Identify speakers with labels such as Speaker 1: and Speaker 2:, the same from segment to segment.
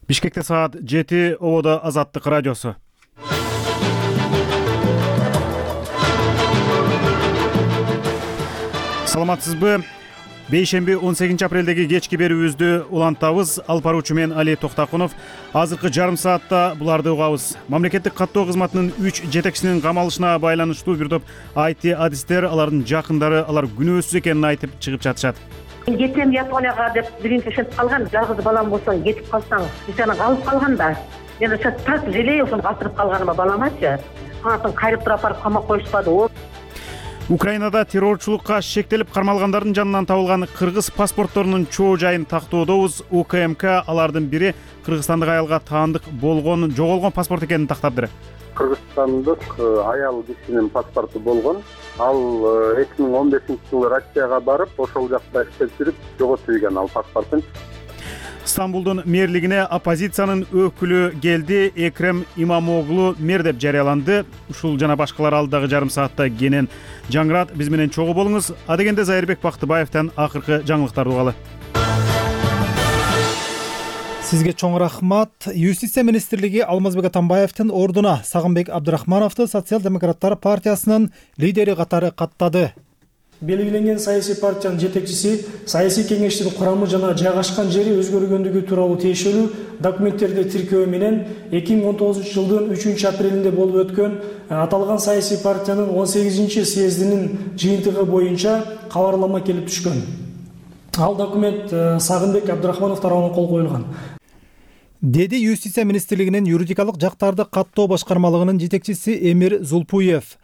Speaker 1: Бишкекте саат 7, Ободо Азаттык радиосу. Саламатсызбы? Бейшемби 18 апрелдеги кечки берүүбүздү улантабыз. Алып баруучу мен Али Токтакунов. Азыркы жарым саатта буларды угабыз. Мамлекеттик каттоо кызматынын 3 жетекчисинин камалышына байланыштуу бир топ IT адистер, алардын жакындары алар күнөөсүз экенин айтып чыгып жатышат.
Speaker 2: Кетем Японияга деп биринчи ошентип калган. Жалгыз балам болсоң кетип калсаң, сен калып калган да. Мен ошо так желей ошону калтырып калганыма баламачы. Анан кайрып туруп барып камап коюшпады.
Speaker 1: Украинада террорчулукка шектелип кармалгандардын жанынан табылган кыргыз паспортторунун чоо жайын тактоодобуз. УКМК алардын бири кыргызстандык аялга таандык жоголгон паспорт экенин тактап.
Speaker 3: Кыргызстандык аял кишинин паспорту болгон. Ал 2015-жылы Россияга барып, ошол жакта иштеп жүрүп жоготуп ийген ал паспортун.
Speaker 1: Стамбулдун мэрлигине оппозициянын өкүлү келди. Экрем Имамоглу мэр деп жарыяланды. Ушул жана башкалар алдагы жарым саатта кенен жаңырат. Биз менен чогуу болуңуз. Адегенде Зайырбек Бактыбаевден акыркы жаңылыктарды угалы.
Speaker 4: Сизге чоң рахмат. Юстиция министрлиги Алмазбек Атамбаевдин ордуна Сагынбек Абдрахмановду Социал-демократтар партиясынын лидери катары каттады.
Speaker 5: Белгиленген саясий партиянын жетекчиси саясий кеңештин курамы жана жайгашкан жери өзгөргөндүгү тууралуу тиешелүү документтерди тиркөө менен 2019-жылдын 3-апрелинде болуп өткөн аталган саясий партиянын 18-съездинин жыйынтыгы боюнча кабарлама келип түшкөн. Ал документ Сагынбек Абдрахманов тарабынан кол коюлган.
Speaker 4: Деди Юстиция министрлигинин юридикалык жактарды каттоо башкармалыгынын жетекчиси Эмир Зулпуев.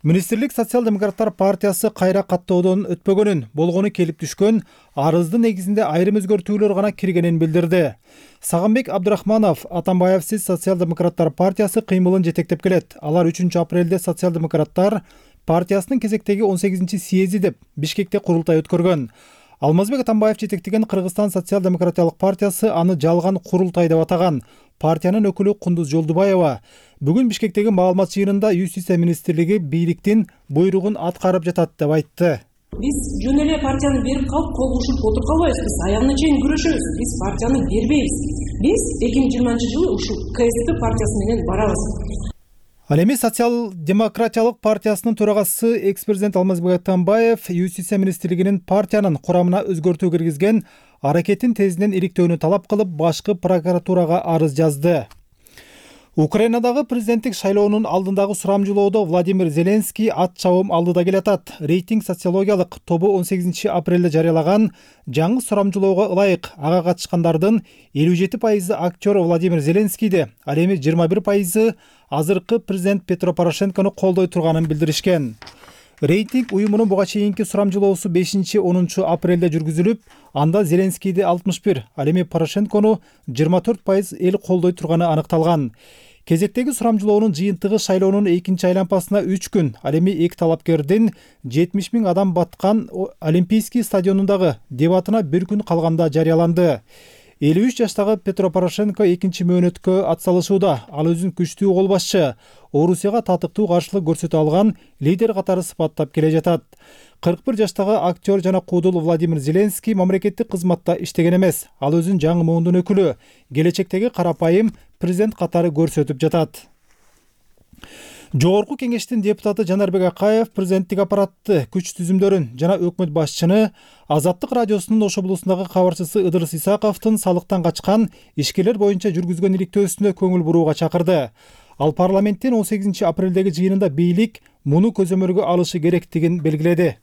Speaker 4: Министрлик Социал-демократтар партиясы кайра каттоодон өтпөгөнүн, болгону келип түшкөн арыздын негизинде айрым өзгөртүүлөр гана киргенин билдирди. Сагынбек Абдрахманов Атамбаевсиз Социал-демократтар партиясы кыймылын жетектеп келет. Алар 3-апрелде Социал-демократтар партиясынын кезектеги 18-съезди деп Бишкекте курултай өткөргөн. Алмазбек Атамбаев жетектеген Кыргызстан социал-демократиялык партиясы аны жалган курултай деп атаган. Партиянын өкүлү Кундуз Жолдубаева бүгүн Бишкектеги маалымат жыйынында Юстиция министрлиги бийликтин буйругун аткарып жатат деп айтты.
Speaker 6: Биз жөн эле партияны берип калып кол кушуп отуруп калбайбыз. Биз аягына чейин күрөшөбүз. Биз партияны бербейбиз. Биз 2020-жылы ушул КСДП партиясы менен барабыз.
Speaker 4: Ал эми Социал-демократиялык партиясынын төрагасы экс-президент Алмазбек Атамбаев Юстиция министрлигинин партиянын курамына өзгөртүү киргизген аракетин тезинен иликтөөнү талап кылып, башкы прокуратурага арыз жазды. Украинадагы президенттик шайлоонун алдындагы сурамжылоодо Владимир Зеленский ат чабым алдыда келатат. Рейтинг социологиялык тобу 18-апрелде жарыялаган жаңы сурамжылоого ылайык ага катышкандардын 57% актер Владимир Зеленскийди, ал эми 21% азыркы президент Петро Порошенкону колдой турганын билдиришкен. Рейтинг уюмунун буга чейинки сурамжылоосу 5-10 апрелде жүргүзүлүп, анда Зеленскийди 61, ал эми Порошенкону 24% эл колдой турганы аныкталган. Кезектеги сурамжылоонун жыйынтыгы шайлоонун экинчи айланпасына 3 күн, ал эми эки талапкердин 70 000 адам баткан Олимпийский стадионундагы дебатына 1 күн калганда жарыяланды. 53 жаштагы Петро Порошенко экинчи мөөнөткө атсалышууда. Ал өзүн күчтүү кол башчы, Орусияга татыктуу каршылык көрсөтө алган лидер катары сыпаттап келе жатат. 41 жаштагы актер жана куудул Владимир Зеленский мамлекеттик кызматта иштеген эмес. Ал өзүн жаңы муундун өкүлү, келечектеги карапайым президент катары көрсөтүп жатат. Жогорку кеңештин депутаты Жанарбек Акаев президенттик аппаратты, күч түзүмдөрүн жана өкмөт башчыны Азаттык радиосунун Ош облусундагы кабарчысы Ыдырыс Исаковдун салыктан качкан ишкерлер боюнча жүргүзгөн иликтөөсүнө көңүл бурууга чакырды. Ал парламенттин 18-апрелдеги жыйынында бийлик муну көзөмөлгө алышы керектигин белгиледи.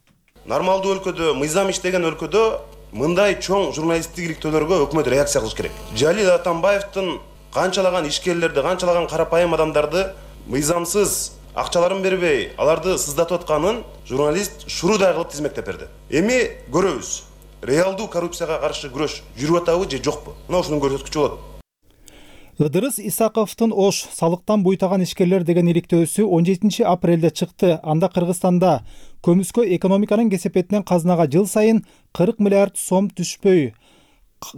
Speaker 7: Нормалдуу өлкөдө, мыйзам иштеген өлкөдө мындай чоң журналисттик иликтөөлөргө өкмөт реакция кылыш керек. Жалил Атамбаевдин канчалаган ишкерлерди, канчалаган карапайым адамдарды мыйзамсыз акчаларын бербей, аларды сыздатып атканын журналист шурудай кылып тизмектеп берди. Эми көрөбүз. Реалдуу коррупцияга каршы күрөш жүрүп атабы же жокпу? Мына ушунун көрсөткүчү болот.
Speaker 4: Ыдырыс Исаковдун Ош салыктан буйтаган ишкерлер деген иликтөөсү 17-апрелде чыкты. Анда Кыргызстанда көмүскө экономиканын кесепетинен казынага жыл сайын 40 миллиард сом түшпөй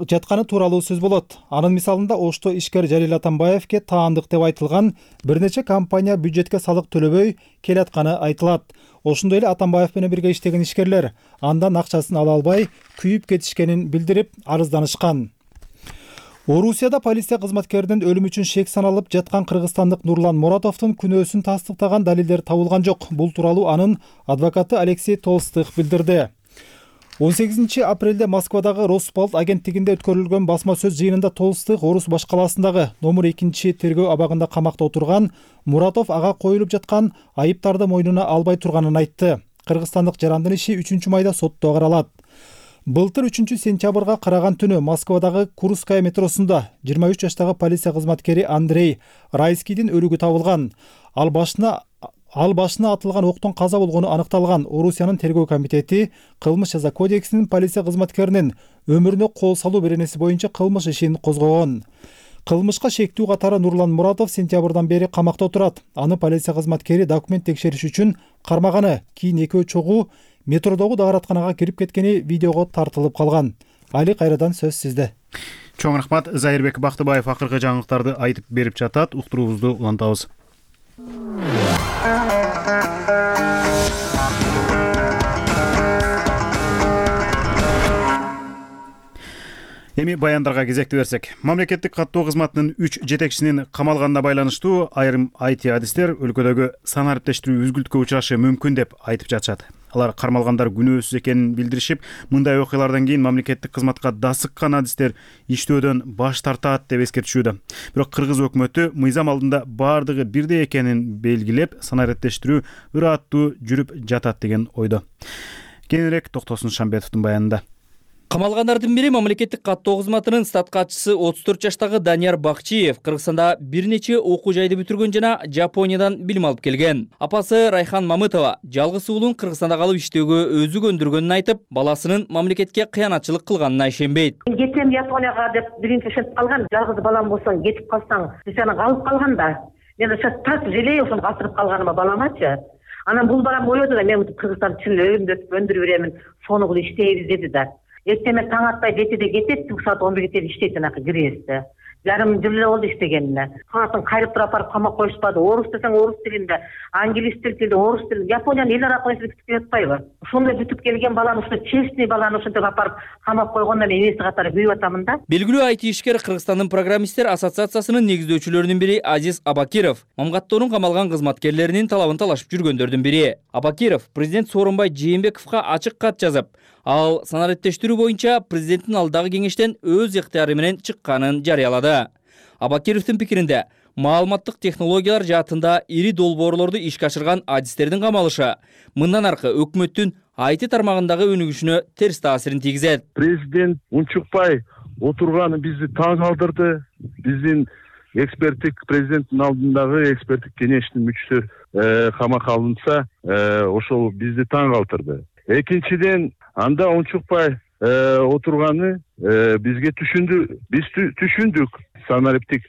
Speaker 4: жатканы тууралуу сөз болот. Анын мисалында Ошто ишкер Жалил Атамбаевке таандык деп айтылган бир нече компания бюджетке салык төлөбөй келатканы айтылат. Ошондой эле Атамбаев менен бирге иштеген ишкерлер андан акчасын ала албай күйүп кетишкенин билдирип арызданышкан. Орусияда полиция кызматкеринин өлүмү үчүн шек саналып жаткан кыргызстандык Нурлан Муратовдун күнөөсүн тастыктаган далилдер табылган жок. Бул тууралуу анын адвокаты Алексей Толстых билдирди. 18 апрелде Москвадагы Росполт агенттигинде өткөрүлгөн басма сөз жыйынында Толстых Орус баш калаасындагы номер 2 тергөө абагында камакта отурган Муратов ага коюлуп жаткан айыптарды мойнуна албай турганын айтты. Кыргызстандык жарандын иши 3-майда сотто каралат. Былтыр 3-сентябрга караган түнү Москвадагы Курская метросунда 23 жаштагы полиция кызматкери Андрей Райскийдин өлүгү табылган. Ал башына атылган октон каза болгону аныкталган. Орусиянын тергөө комитети кылмыш жаза кодексинин полиция кызматкеринин өмүрүнө кол салуу беренеси боюнча кылмыш ишин козгогон. Кылмышка шектүү катары Нурлан Муратов сентябрдан бери камакта отурат. Аны полиция кызматкери документ текшериш үчүн кармаганы, кийин экөө чогуу метродогу дааратканага кирип кеткени видеого тартылып калган. Али, кайрадан сөз сизде.
Speaker 1: Чоң рахмат. Зайырбек Бактыбаев акыркы жаңылыктарды айтып берип жатат. Уктуруубузду улантабыз. Эми баяндарга кезекти берсек, мамлекеттик каттоо кызматынын 3 жетекчисинин камалганына байланыштуу айрым IT адистер өлкөдөгү сан ариптештирүү үзгүлтүккө учурашы мүмкүн деп айтып жатышат. Алар кармалгандар күнөөсүз экенин билдиришип, мындай окуялардан кийин мамлекеттик кызматка дасыккан адистер иштөөдөн баш тартат деп эскертишүүдө. Бирок кыргыз өкмөтү мыйзам алдында баардыгы бирдей экенин белгилеп, сан ариптештирүү ыраттуу жүрүп жатат деген ойдо. Кененирээк Токтосун Шамбетовдун баянында.
Speaker 8: Камалгандардын бири мамлекеттик каттоо кызматынын стат катчысы 34 жаштагы Данияр Бакчиев Кыргызстанда бир нече окуу жайды бүтүргөн жана Жапониядан билим алып келген. Апасы Райхан Мамытова жалгыз уулун Кыргызстанда калып иштөөгө өзү көндүргөнүн айтып, баласынын мамлекетке кыянатчылык кылганына ишенбейт.
Speaker 2: Кетем Японияга деп биринчи ишенип калган, жалгыз балам болсоң кетип калсаң, сени калып калган да. Мен ошо так желей ошону калтырып калганыма баламачы. Анан бул балам ойлоду да, мен Кыргызстан чын өйүмдө өндүрүп беремин, сонугул иштейбиз деди да. Эртең таң атпай 7-де кетет, түнкү саат 11-ге чейин иштейт анакы кирээсте. Жарым жыл эле болду иштегенине. Каатын кайрып туруп апарып камап коюшпады. Орус десең орус тилинде, англис тилинде, орус тилинде, Япониянын эл аракы бүтүп келатпайбы? Ошондой бүтүп келген баланы, ушул честный баланы ушинтип апарып камап койгондо мен энеси катары күйүп атамын да.
Speaker 8: Белгилүү IT ишкер Кыргызстандын программисттер ассоциациясынын негиздөөчүлөрүнүн бири Азиз Абакиров мамгаттоонун камалган кызматкерлеринин талабын талашып жүргөндөрдүн бири. Абакиров президент Сооронбай Жээнбековго ачык кат жазып, ал сан ариптештирүү боюнча президенттин алдагы кеңештен өз ыктыяры менен чыкканын жарыялады. Абакировдун пикиринде, маалыматтык технологиялар жаатында ири долбоорлорду ишке ашырган адистердин камалышы мындан аркы өкмөттүн IT тармагындагы өнүгүшүнө терс таасирин тийгизет.
Speaker 9: Президент унчукпай отурганы бизди таң калтырды. Биздин эксперттик президенттин алдындагы эксперттик кеңештин мүчөсү камакка алынса, ошол бизди таң калтырды. Экинчиден, анда унчукпай отурганы бизге биз түшүндүк санариптик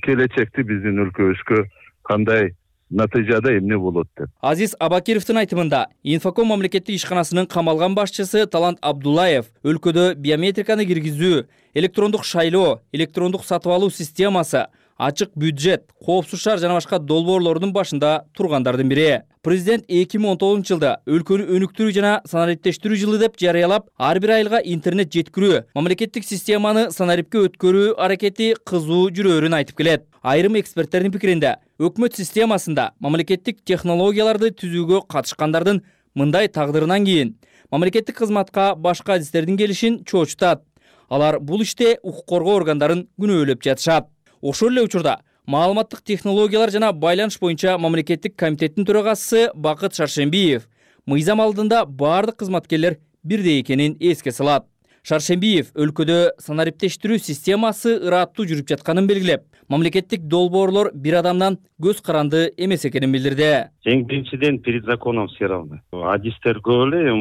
Speaker 9: келечекти биздин өлкөбүзгө кандай натыйжада эмне болот деп.
Speaker 8: Азиз Абакировдун айтымында, Инфоком мамлекеттик ишканасынын камалган башчысы Талант Абдулаев өлкөдө биометриканы киргизүү, электрондук шайлоо, электрондук сатып алуу системасы, ачык бюджет, коопсуз шаар жана башка долбоорлордун башында тургандардын бири. Президент 2019-жылда өлкөнү өнүктүрүү жана санариптештирүү жылы деп жарыялап, ар бир айылга интернет жеткирүү, мамлекеттик системаны санарипке өткөрүү аракети кызуу жүрөөрүн айтып келет. Айрым эксперттердин пикиринде, өкмөт системасында мамлекеттик технологияларды түзүүгө катышкандардын мындай тагдырынан кийин мамлекеттик кызматка башка адистердин келишин чоочутат. Алар бул иште укук коргоо органдарын күнөөлөп жатышат. Ошол эле учурда маалыматтык технологиялар жана байланыш боюнча мамлекеттик комитеттин төрагасы Бакыт Шаршембиев мыйзам алдында баардык кызматкерлер бирдей экенин эске салат. Шаршембиев өлкөдө санариптештирүү системасы ыраттуу жүрүп жатканын белгилеп, мамлекеттик долбоорлор бир адамдан көз каранды эмес экенин билдирди.
Speaker 10: Эң биринчиден перед законом все равны. Адистер көп эле,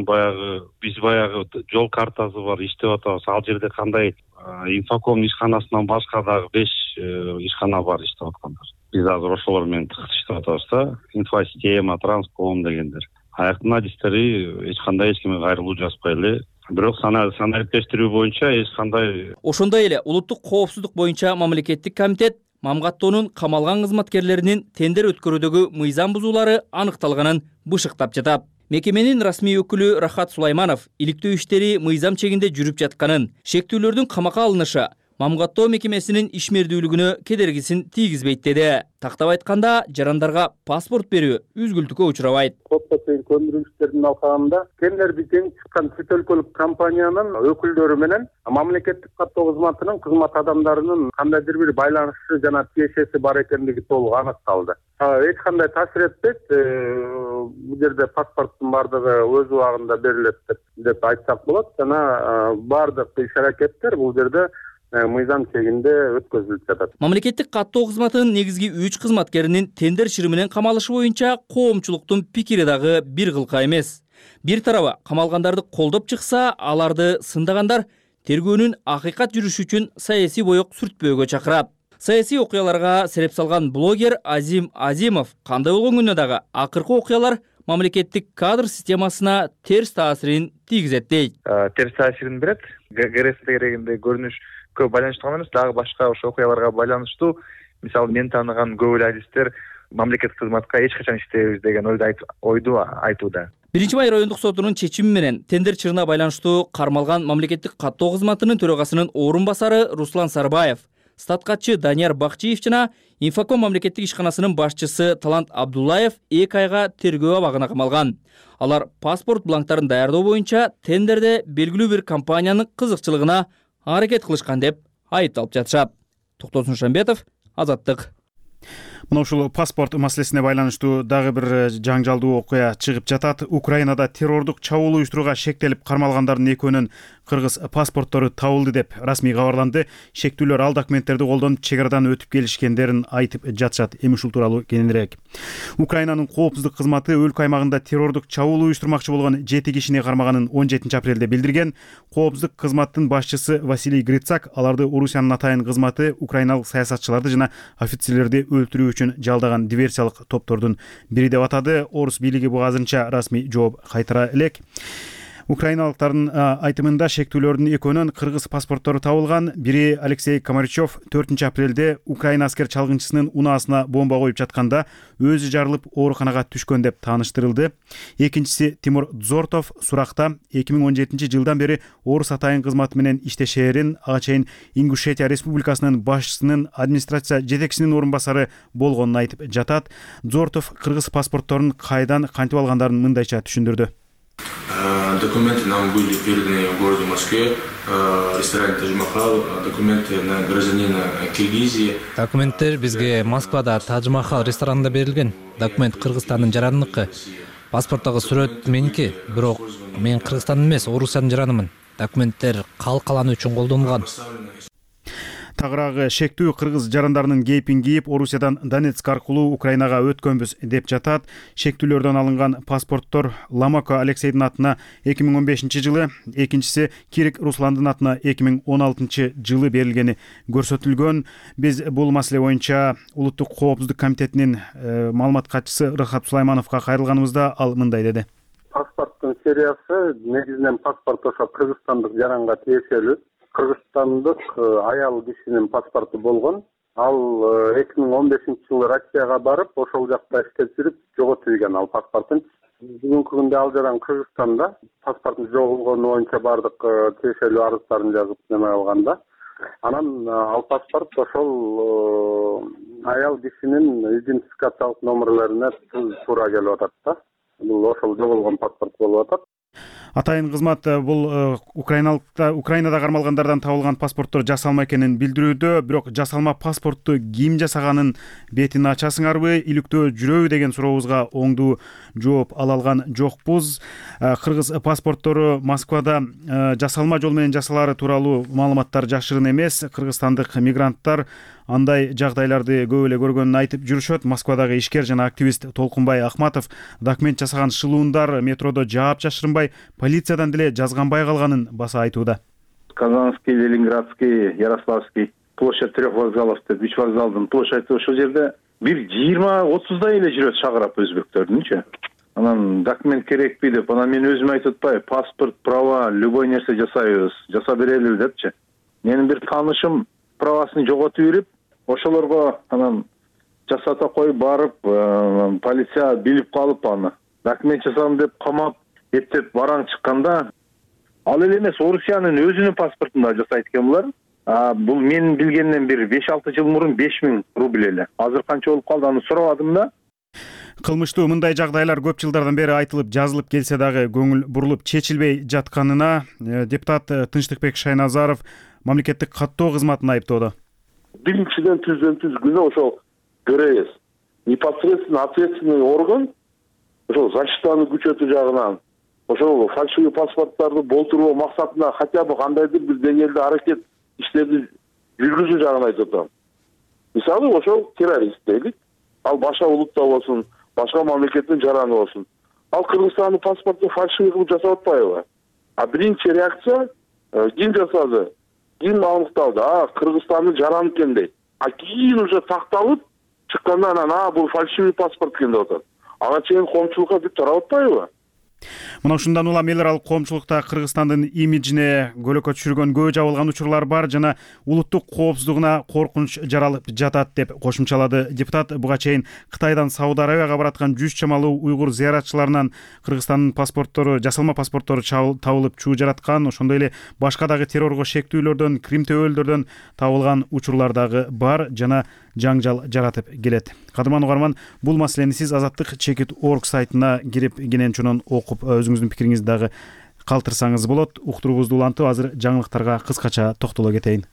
Speaker 10: биз баягы жол картасы бар, иштеп атабыз. Ал жерде кандай Инфоком ишканасынан башка дагы 5 ишкана бар иштеп аткандар. Биз азыр ошолор менен тыгыз иштеп атабыз да. Инфосистема, Транском дегендер. Аяктын адистери эч кимге кайрылуу жазбай эле. Бирок санариптештирүү боюнча эч кандай.
Speaker 8: Ошондой эле улуттук коопсуздук боюнча мамлекеттик комитет мамгаттоонун камалган кызматкерлеринин тендер өткөрүүдөгү мыйзам бузуулары аныкталганын бышыктап жатат. Мекеменин расмий өкүлү Рахат Сулайманов иликтөө иштери мыйзам чегинде жүрүп жатканын, шектүүлөрдүн камакка алынышы мам каттоо мекемесинин ишмердүүлүгүнө кедергисин тийгизбейт деди. Тактап айтканда, жарандарга паспорт берүү үзгүлтүккө учурабайт.
Speaker 3: Сотко чейин көндүрүштөрдүн алкагында тендерди жеңип чыккан чет өлкөлүк компаниянын өкүлдөрү менен мамлекеттик каттоо кызматынын кызмат адамдарынын кандайдыр бир байланышы жана тиешеси бар экендиги толук аныкталды. Эч кандай таасир этпейт. Бул жерде паспорттун баардыгы өз убагында берилет деп айтсак болот. Жана баардык иш-аракеттер бул жерде мыйзам чегинде өткөзүлүп жатат.
Speaker 8: Мамлекеттик каттоо кызматынын негизги 3 кызматкеринин тендер шырымынан камалышы боюнча коомчулуктун пикири дагы бир кылка эмес. Бир тарабы камалгандарды колдоп чыкса, аларды сындагандар тергөөнүн акыйкат жүрүшү үчүн саясий боек сүртпөөгө чакырат. Саясий окуяларга сереп салган блогер Азим Азимов кандай болгон күндө дагы акыркы окуялар мамлекеттик кадр системасына терс таасирин тийгизет дейт.
Speaker 11: Терс таасирин берет. ГРС дегенде көрүнүшкө байланыштуу эмес, дагы башка ошо окуяларга байланыштуу. Мисалы, мен тааныган көп эле адистер мамлекеттик кызматка эч качан иштебейбиз деген ойду айтууда. 1-Май райондук сотунун чечими менен тендер чырына байланыштуу кармалган мамлекеттик каттоо кызматынын төрагасынын орун басары Руслан Сарбаев, статкатчы Данияр Бакчиев жана Инфоком мамлекеттик ишканасынын башчысы Талант Абдуллаев 2 айга тергөө абагына камалган. Алар паспорт бланктарын даярдоо боюнча тендерде белгилүү бир компаниянын кызыкчылыгына аракет кылышкан деп айыпталып жатышат. Токтосун Шамбетов, Азаттык.
Speaker 1: Мына ушул паспорт маселесине байланыштуу дагы бир жаңжалдуу окуя чыгып жатат. Украинада террордук чабуул уюштурууга шектелип кармалгандардын экөөнүн кыргыз паспорттору табылды деп расмий кабарланды. Шектүүлөр ал документтерди колдонуп чек арадан өтүп келишкендерин айтып жатышат. Эми ушул тууралуу кененирээк. Украинанын коопсуздук кызматы өлкө аймагында террордук чабуул уюштурмакчы болгон 7 кишини кармаганын 17-апрелде билдирген. Коопсуздук кызматтын башчысы Василий Грицак аларды Орусиянын атайын кызматы украиналык саясатчыларды жана офицерлерди өлтүрүү үчүн жалдаган диверсиялык топтордун бири деп атады. Орус бийлиги буга азырынча расмий жооп кайтара элек. Украиналыктардын айтымында шектүүлөрдүн экөөнүн кыргыз паспорттору табылган. Бири Алексей Комаричев 4-апрелде Украина аскер чалгынчысынын унаасына бомба коюп жатканда өзү жарылып ооруканага түшкөн деп тааныштырылды. Экинчиси Тимур Дзортов суракта 2017 жылдан бери Орус атайын кызматы менен иштешээрин, ага чейин Ингушетия Республикасынын башчысынын администрация жетекчисинин орун басары болгонун айтып жатат. Дзортов кыргыз паспортторун кайдан кантип алгандарын мындайча түшүндүрдү.
Speaker 12: Документы нам были переданы в городе Москве, ресторане Тадж-Махал, документы на гражданина Киргизии.
Speaker 13: Документтер бизге Москвада Тадж-Махал ресторанында берилген. Документ Кыргызстандын жарандыкы. Паспорттогу сүрөт меники, бирок мен Кыргызстандын эмес, Орусиянын жаранымын. Документтер калкалануу үчүн колдонулган.
Speaker 1: Тагыраагы шектүү кыргыз жарандарынын кейпин кийип Орусиядан Донецк аркылуу Украинага өткөнбүз деп жатат. Шектүүлөрдөн алынган паспорттор Ламако Алексейдин атына 2015 жылы, экинчиси Кирик Русландын атына 2016 жылы берилгени көрсөтүлгөн. Биз бул маселе боюнча Улуттук коопсуздук комитетинин маалымат катчысы Рахат Сулаймановго кайрылганыбызда ал мындай деди.
Speaker 3: Паспорттун сериясы негизинен паспорт ошо кыргызстандык жаранга тиешелүү. Кыргызстандык аял кишинин паспорту болгон. Ал 2015 жылы Россияга барып, ошол жакта иштеп жүрүп жоготуп ийген ал паспортун. Бүгүнкү күндө ал жаран Кыргызстанда паспортун жоголгону боюнча бардык тиешелүү арыздарын жазып неме алганда, анан ал паспорт ошол аял кишинин идентификациялык номерлерине туура келип атат да. Бул ошол жоголгон паспорт болуп атат.
Speaker 1: Атайын кызмат бул Украинада кармалгандардан табылган паспорттор жасалма экенин билдирүүдө, бирок жасалма паспортту ким жасаганын бетин ачасыңарбы, иликтөө жүрөбү деген сурообузга оңдуу жооп ала алган жокпуз. Кыргыз паспорттору Москвада жасалма жол менен жасалары тууралуу маалыматтар жашырын эмес. Кыргызстандык мигранттар андай жагдайларды көп эле көргөнүн айтып жүрүшөт. Москвадагы ишкер жана активист Толкунбай Ахматов документ жасаган шылуундар метродо жаап жашырынбай, полициядан деле жазганбай калганын баса айтууда.
Speaker 14: Казанский, Ленинградский, Ярославский, площадь 3 вокзалов деп 3 вокзалдын площади ошол жерде бир 20-30дай эле жүрөт шагырап өзбектөрдүнчү. Анан документ керекпи деп, анан мен өзүм айтып атпайбы, паспорт, права, любой нерсе жасайбыз, жаса берели депчи. Менин бир таанышым правасын жоготуп берип, ошолорго анан жасата коюп барып, полиция билип калып аны. Документ жасадым деп камап, эптеп бараң чыкканда, ал эле эмес, Орусиянын өзүнүн паспортунда жасайт экен булар. Бул менин билгенден бир 5-6 жыл мурун 5000 рубль эле. Азыр канча болуп калды аны сурабадым да.
Speaker 1: Кылмыштуу мындай жагдайлар көп жылдардан бери айтылып, жазылып келсе дагы көңүл бурулуп чечилбей жатканына депутат Тынчтыкбек Шайназаров мамлекеттик каттоо кызматын айыптоодо.
Speaker 15: Биринчиден түздөн-түз күнөө ошол көрөбүз. Непосредственно ответственный орган ошол защитаны күчөтүү жагынан ошол фальшивый паспорттарды болтуруу максатында хотя бы кандайдыр бир деңгээлде аракет иштерди жүргүзүү жагын айтып атам. Мисалы ошол террорист дейлик, ал башка улутта болсун, башка мамлекеттин жараны болсун. Ал Кыргызстандын паспортун фальшивый кылып жасап атпайбы? Биринчи реакция ким жасады? Ким аныкталды? Кыргызстандын жараны экен дейт. Кийин уже такталып чыкканда анан бул фальшивый паспорт экен деп атат. Ага чейин коомчулукка бүт тарап атпайбы?
Speaker 1: Мына ушундан улам эл аралык коомчулукта Кыргызстандын имиджине көлөкө түшүргөн көбө жабылган учурлар бар жана улуттук коопсуздугуна коркунуч жаралып жатат деп кошумчалады депутат. Буга чейин Кытайдан Сауд Арабияга бараткан 100 чамалуу уйгур зыяратчыларынан Кыргызстандын паспорттору, жасалма паспорттору табылып чуу жараткан, ошондой эле башка дагы террорго шектүүлөрдөн, Крим төбөлдөрдөн табылган учурлар дагы бар жана жаңжал жаратып келет. Кадырман угарман, бул маселени сиз Азаттык Чекит.org сайтына кирип кенен чунун окуп өзүңүздүн пикириңизди дагы калтырсаңыз болот. Уктуруубузду улантып, азыр жаңылыктарга кыскача токтоло кетейин.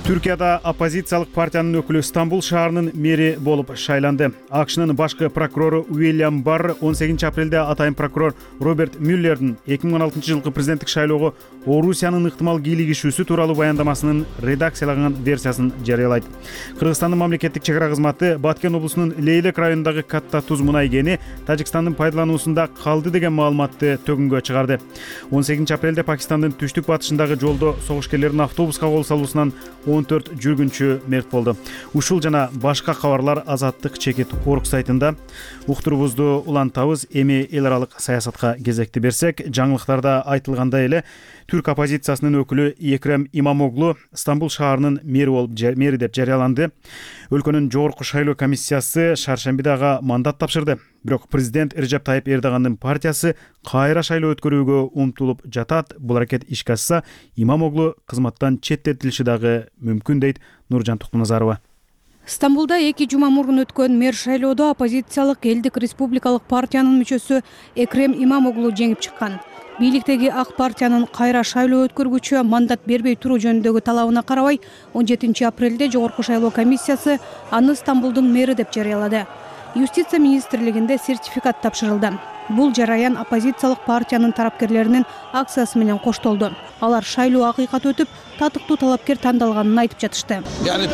Speaker 1: Түркияда оппозициялык партиянын өкүлү Стамбул шаарынын мэри болуп шайланды. АКШнын башкы прокурору Уильям Барр 18 апрелде атайын прокурор Роберт Мюллердин 2016 жылкы президенттик шайлоого Орусиянын ыктымал кийлигишүүсү тууралуу баяндамасынын редакцияланган версиясын жарыялайт. Кыргызстандын мамлекеттик чек ара кызматы Баткен облусунун Лейлек районундагы Катта Туз мунай кени Тажикстандын пайдалануусунда калды деген маалыматты төгүнгө чыгарды. 18 апрелде Пакистандын түштүк батышындагы жолдо согушкерлердин автобуска кол салуусунан 14 жүргүнчү мерт болду. Ушул жана башка кабарлар Азаттык Чекит.org сайтында. Уктуруубузду улантабыз. Эми эл аралык саясатка кезекти берсек, жаңылыктарда айтылгандай эле түрк оппозициясынын өкүлү Экрем Имамоглу Стамбул шаарынын мэри деп жарыяланды. Өлкөнүн жогорку шайлоо комиссиясы шаршембиде ага мандат тапшырды. Бирок президент Режеп Тайып Эрдогандын партиясы кайра шайлоо өткөрүүгө умтулуп жатат. Бул аракет ишке ашса, Имамоглу кызматтан четтетилиши дагы мүмкүн дейт Нуржан Токтоназарова.
Speaker 16: Стамбулда 2 жума мурун өткөн мэр шайлоодо оппозициялык Элдик республикалык партиянын мүчөсү Экрем Имамоглу жеңип чыккан. Бийликтеги ак партиянын кайра шайлоо өткөргүчү мандат бербей туруу жөнүндөгү талабына карабай 17 апрелде жогорку шайлоо комиссиясы аны Стамбулдун мэри деп жарыялады. Юстиция министрлигинде сертификат тапшырылды. Бул жараян оппозициялык партиянын тарапкерлеринин акциясы менен коштолду. Алар шайлоо акыйкат өтүп, татыктуу талапкер тандалганын айтып жатышты.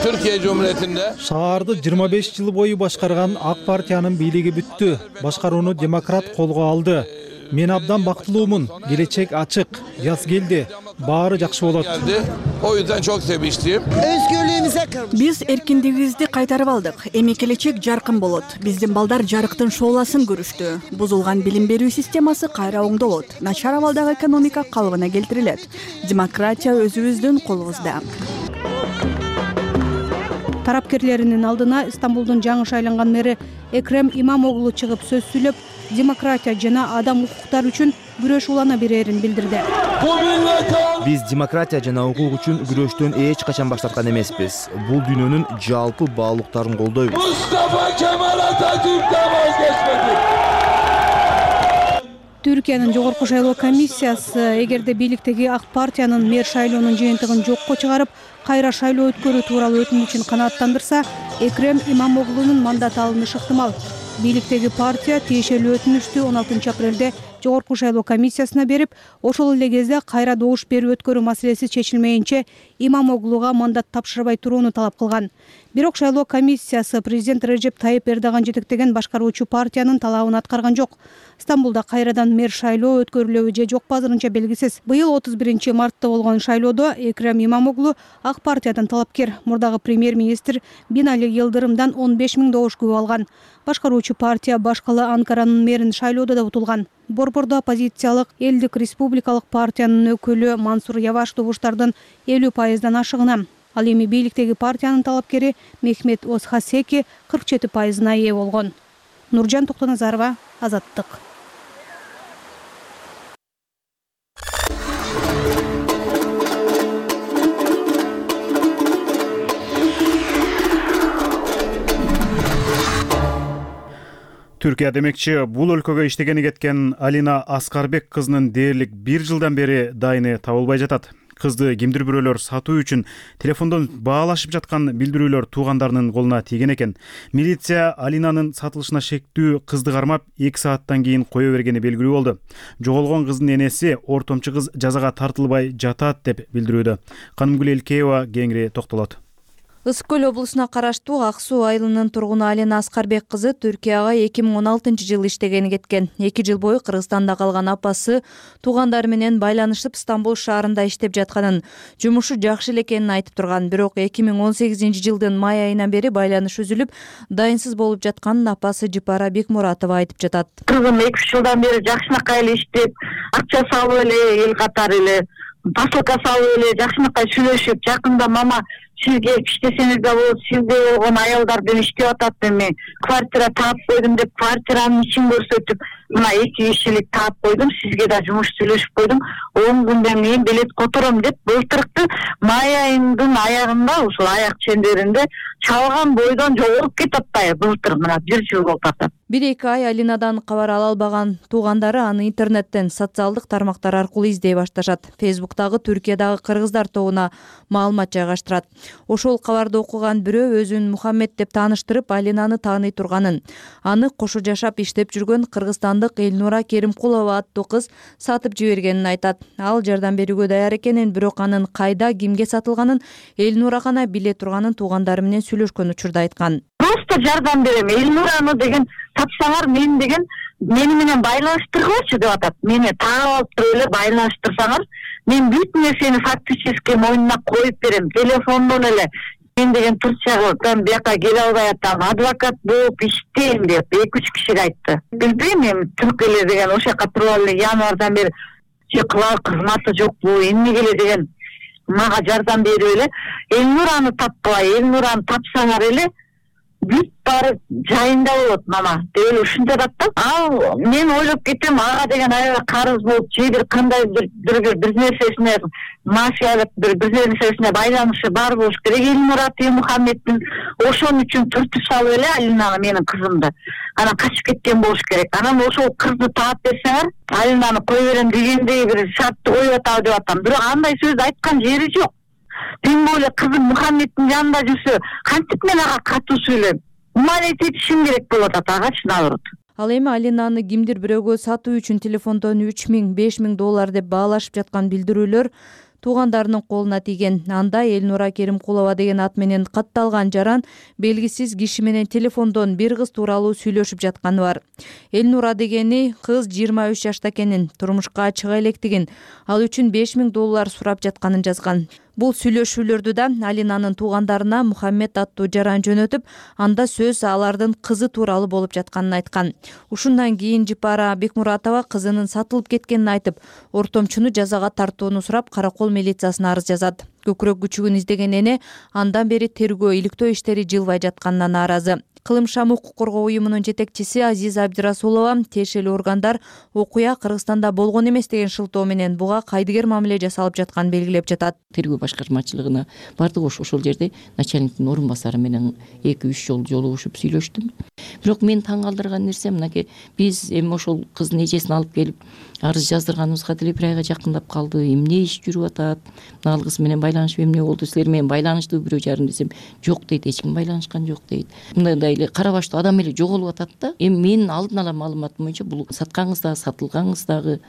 Speaker 17: Türkiye Cumhuriyeti'nde
Speaker 4: Шаарды 25 жыл бою башкарган ак партиянын бийлиги бүттү. Башкарууну демократ колго алды. Мен абдан бактылуумун. Келечек ачык. Жаз келди. Баары жакшы болот.
Speaker 17: O yüzden çok sevinçliyim.
Speaker 18: Биз эркиндигибизди кайтарып алдык. Эми келечек жаркын болот. Биздин балдар жарыктын шооласын көрүштү. Бузулган билим берүү системасы кайра оңдолот. Начар абалдагы экономика калыбына келтирилет. Демократия өзүбүздүн колубузда.
Speaker 16: Тарапкерлеринин алдына Стамбулдун жаңы шайланган мэри Экрем Имамоглу чыгып сөз сүйлөп, демократия жана адам укуктары үчүн күрөш улана берерин билдирди.
Speaker 19: Биз демократия жана укук үчүн күрөштөн эч качан баш тарткан эмеспиз. Бул дүйнөнүн жалпы баалуулуктарын колдойбуз.
Speaker 17: Mustafa Kemal Atatürk'ten vazgeçmedi.
Speaker 16: Түркиянын жогорку шайлоо комиссиясы эгерде бийликтеги ак партиянын мэр шайлоонун жыйынтыгын жокко чыгарып, кайра шайлоо өткөрүү тууралуу өтүнүчүн канааттандырса, Экрем Имамоглунун мандаты алынышы ыктымал. Бийликтеги партия тиешелүү өтүнүштү 16 апрелде жогорку шайлоо комиссиясына берип, ошол эле кезде кайра добуш берүү өткөрүү маселеси чечилмейинче Имамоглуга мандат тапшырбай турууну талап кылган. Бирок шайлоо комиссиясы президент Режеп Тайып Эрдоган жетектеген башкаруучу партиянын талабын аткарган жок. Стамбулда кайрадан мэр шайлоо өткөрүлөбү же жокпу азырынча белгисиз. Быйыл 31 мартта болгон шайлоодо Экрем Имамоглу ак партиядан талапкер мурдагы премьер-министр Бинали Йылдырымдан 15 000 добуш күбө алган. Башкаруучу партия башкалы Анкаранын мэрин шайлоодо да утулган. Борбордо оппозициялык Элдик республикалык партиянын өкүлү Мансур Яваш добуштардын 50% ашыгына. Ал эми бийликтеги партиянын талапкери Мехмет Озхасеки 47%-на ээ болгон. Нуржан Токтоназарова, Азаттык.
Speaker 1: Түркия демекчи, бул өлкөгө иштегени кеткен Алина Аскарбек кызынын дээрлик 1 жылдан бери дайыны табылбай жатат. Кызды кимдир бирөөлөр сатуу үчүн телефондон баалашып жаткан билдирүүлөр туугандарынын колуна тийген экен. Милиция Алинанын сатылышына шектүү кызды кармап 2 сааттан кийин кое бергени белгилүү болду. Жоголгон кыздын энеси ортомчу кыз жазага тартылбай жатат деп билдирүүдө. Канымгүл Элкеева кеңири токтолот.
Speaker 20: Ысык көл облусуна караштуу Ак Суу айылынын тургуну Алина Аскарбек кызы Түркияга 2016-жылы иштегени кеткен. 2 жыл бою Кыргызстанда калган апасы туугандары менен байланышып Стамбул шаарында иштеп жатканын, жумушу жакшы эле экенин айтып турган. Бирок 2018-жылдын май айынан бери байланыш үзүлүп, дайынсыз болуп жатканын апасы Жипара Бекмуратова айтып жатат.
Speaker 2: Кызым 2 жылдан бери жакшынакай эле иштеп, акча салып эле, эл катары эле посылка салып эле жакшынакай сүйлөшүп, жакында мама сизге иштесеңиз да болот, сизде болгон аялдар менен иштеп атат, эми квартира таап койдум деп квартиранын ичин көрсөтүп, мына 2 кишилик таап койдум, сизге да жумуш сүйлөшүп койдум, 10 күндөн кийин билет котором деп былтыркы май айынын аягында ушул аяк чендеринде чалган бойдон жоголуп кетип атпайбы, былтыр мына 1 жыл болуп атат.
Speaker 20: 1-2 ай Алинадан кабар ала албаган туугандары аны интернеттен, социалдык тармактар аркылуу издей башташат. Фейсбуктагы Түркиядагы кыргыздар тобуна маалымат жайгаштырат. Ошол кабарды окуган бирөө өзүн Мухаммед деп тааныштырып, Алинаны тааный турганын, аны кошо жашап иштеп жүргөн кыргызстандык Элнура Керимкулова аттуу кыз сатып жибергенин айтат. Ал жардам берүүгө даяр экенин, бирок анын кайда, кимге сатылганын Элнура гана биле турганын туугандары менен сүйлөшкөн учурда айткан.
Speaker 2: Просто жардам берем, Элнураны деген тапсаңар, мен деген мени менен байланыштыргылачы деп атат. Мени таап алып туруп эле байланыштырсаңар, мен бүт нерсени фактически мойнуна коюп берем. Телефондон эле мен деген Турциядан бияка келе албай атам, адвокат болуп иштейм деп 2-3 кишиге айтты. Билбейм, эми түрк эле деген ошол жака туруп эле январдан бери кылар кызматы жокпу, эмнеге эле деген мага жардам берип эле Элнураны тапкылай, Элнураны тапсаңар эле бүт баары жайында болот мама деп эле ушинтип атат да. Ал мен ойлоп кетем, ага деген аябай карыз болуп, же бир кандайдыр бир нерсесине мафиялык бир нерсесине байланышы бар болуш керек. Элнура Мухаммеддин ошон үчүн түртүп салып эле Алинаны, менин кызымды, анан качып кеткен болуш керек. Анан ошол кызды таап берсеңер, Алинаны кое берем дегендей бир шартты коюп атабы деп атам. Бирок андай сөздү айткан жери жок. Тем более кызым Мухаммеддин жанында жүрсө, кантип мен ага катуу сүйлөйм? Умалет этишим керек болот атагачы, наоборот.
Speaker 20: Ал эми Алинаны кимдир бирөөгө сатуу үчүн телефондон 3000–5000 доллар деп баалашып жаткан билдирүүлөр туугандарынын колуна тийген. Анда Элнура Керимкулова деген ат менен катталган жаран белгисиз киши менен телефондон бир кыз тууралуу сүйлөшүп жатканы бар. Элнура дегени кыз 23 жашта экенин, турмушка чыга электигин, ал үчүн 5000 доллар сурап жатканын жазган. Бул сүйлөшүүлөрдү да Алинанын туугандарына Мухаммед аттуу жаран жөнөтүп, анда сөз алардын кызы тууралуу болуп жатканын айткан. Ушундан кийин Жипара Бекмуратова кызынын сатылып кеткенин айтып, ортомчуну жазага тартууну сурап, Каракол милициясына арыз жазат. Көкүрөк күчүгүн издеген эне андан бери тергөө, иликтөө иштери жылбай жатканына нааразы. Кылым Шам укук коргоо уюмунун жетекчиси Азиза Абдирасулова тиешелүү органдар окуя Кыргызстанда болгон эмес деген шылтоо менен буга кайдыгер мамиле жасалып жатканын белгилеп жатат.
Speaker 21: Тергөө башкармачылыгына бардык, ошол жерде начальниктин орун басары менен 2-3 жолу жолугушуп сүйлөштүм. Бирок мен таң калтырган нерсе мынакей, биз эми ошол кыздын эжесин алып келип арыз жаздырганыбызга деле 1 айга жакындап калды. Эмне иш жүрүп атат? Ал кыз менен байланышып эмне болду? Силер менен байланыштуу бирөө жарым десем, жок дейт, эч ким байланышкан жок дейт. Мындай эле кара баштуу адам эле жоголуп атат да. Эми менин алдын ала маалыматым боюнча бул саткан кыз дагы, сатылган кыз дагы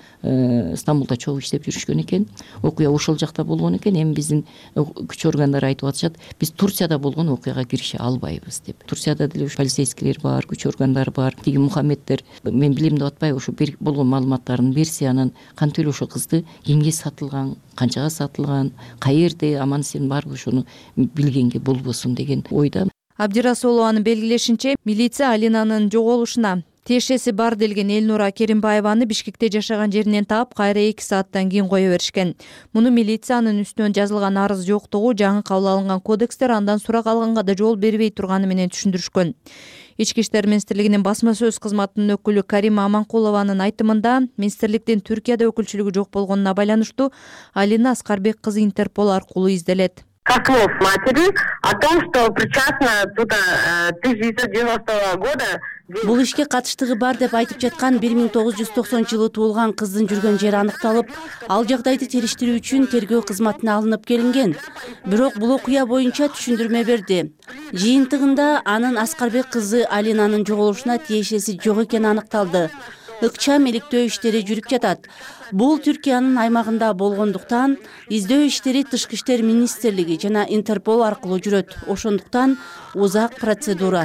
Speaker 21: Стамбулда чогуу иштеп жүрүшкөн экен. Окуя ошол жакта болгон экен. Эми биздин күч органдары айтып атышат, биз Турцияда болгон окуяга киреше албайбыз деп. Турцияда деле полицейскийлер бар, күч органдары бар. Тиги Мухаммеддер мен билем деп атпайбы, ошо болгон маалыматтарын берсе, анан кантип эле ошо кызды кимге сатылган, канчага сатылган, каерде аман эсен барбы, ошону билгенге болбосун деген ойда.
Speaker 20: Абдирасулованын белгилешинче, милиция Алинанын жоголушуна тиешеси бар делген Элнура Керимбаеваны Бишкекте жашаган жеринен таап, кайра 2 сааттан кийин кое беришкен. Муну милициянын үстүнөн жазылган арыз жоктугу, жаңы кабыл алынган кодекстер андан сурак алганга да жол бербей турганы менен түшүндүрүшкөн. Ички иштер министрлигинин басма сөз кызматынын өкүлү Карима Аманкулованын айтымында, министрликтин Түркияда өкүлчүлүгү жок болгонуна байланыштуу Алина Аскарбек кызы Интерпол аркылуу изделет.
Speaker 2: Кослов матери о том, что причастна тут 1990 года.
Speaker 5: Бул ишке катыштыгы бар деп айтып жаткан 1990-жылы туулган кыздын жүргөн жери аныкталып, ал жагдайды териштирүү үчүн тергөө кызматына алынып келинген. Бирок бул окуя боюнча түшүндүрмө берди. Жыйынтыгында анын Аскарбек кызы Алинанын жоголушуна тиешеси жок экени аныкталды. Ыкчам иликтөө иштери жүрүп жатат. Бул Түркиянын аймагында болгондуктан издөө иштери Тышкы иштер министрлиги жана Интерпол аркылуу жүрөт. Ошондуктан узак процедура.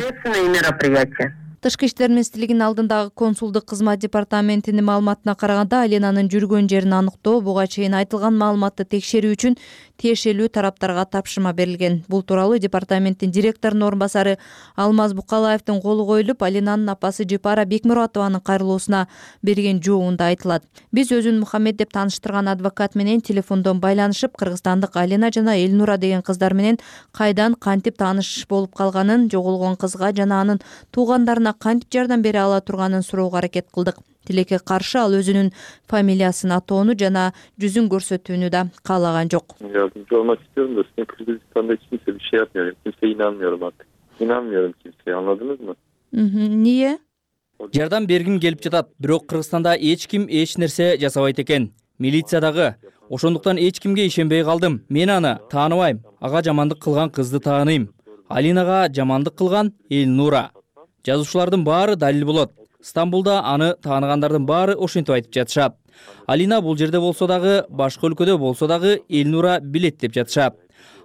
Speaker 20: Тышкы иштер министрлигинин алдындагы консулдук кызмат департаментинин маалыматына караганда, Алинанын жүргөн жерин аныктоо буга чейин айтылган маалыматты текшерүү үчүн тиешелүү тараптарга тапшырма берилген. Бул тууралуу департаменттин директорунун орун басары Алмаз Букалаевдин колу коюлуп, Алинанын апасы Жипара Бекмуратованын кайрылуусуна берген жообунда айтылат. Биз өзүн Мухаммед деп тааныштырган адвокат менен телефондон байланышып, кыргызстандык Алина жана Элнура деген кыздар менен кайдан кантип тааныш болуп калганын, жоголгон кызга жана анын туугандарына кантип жардам бере ала турганын суроого аракет кылдык. Тилекке каршы ал өзүнүн фамилиясын атоону жана жүзүн көрсөтүүнү да каалаган жок.
Speaker 22: Yardımcı olmak istiyorum da sizin Kırgızistan'da hiç kimse bir şey yapmıyor. Kimseye inanmıyorum artık. İnanmıyorum kimseye, anladınız mı?
Speaker 20: Niye?
Speaker 8: Жардам бергим келип жатат, бирок Кыргызстанда эч ким эч нерсе жасабайт экен. Милиция дагы. Ошондуктан эч кимге ишенбей калдым. Мен аны тааныбайм. Ага жамандык кылган кызды тааныйм. Алинага жамандык кылган Элнура. Жазуучулардын баары далил болот. Стамбулда аны тааныгандардын баары ошентип айтып жатышат. Алина бул жерде болсо дагы, башка өлкөдө болсо дагы Элнура билет деп жатышат.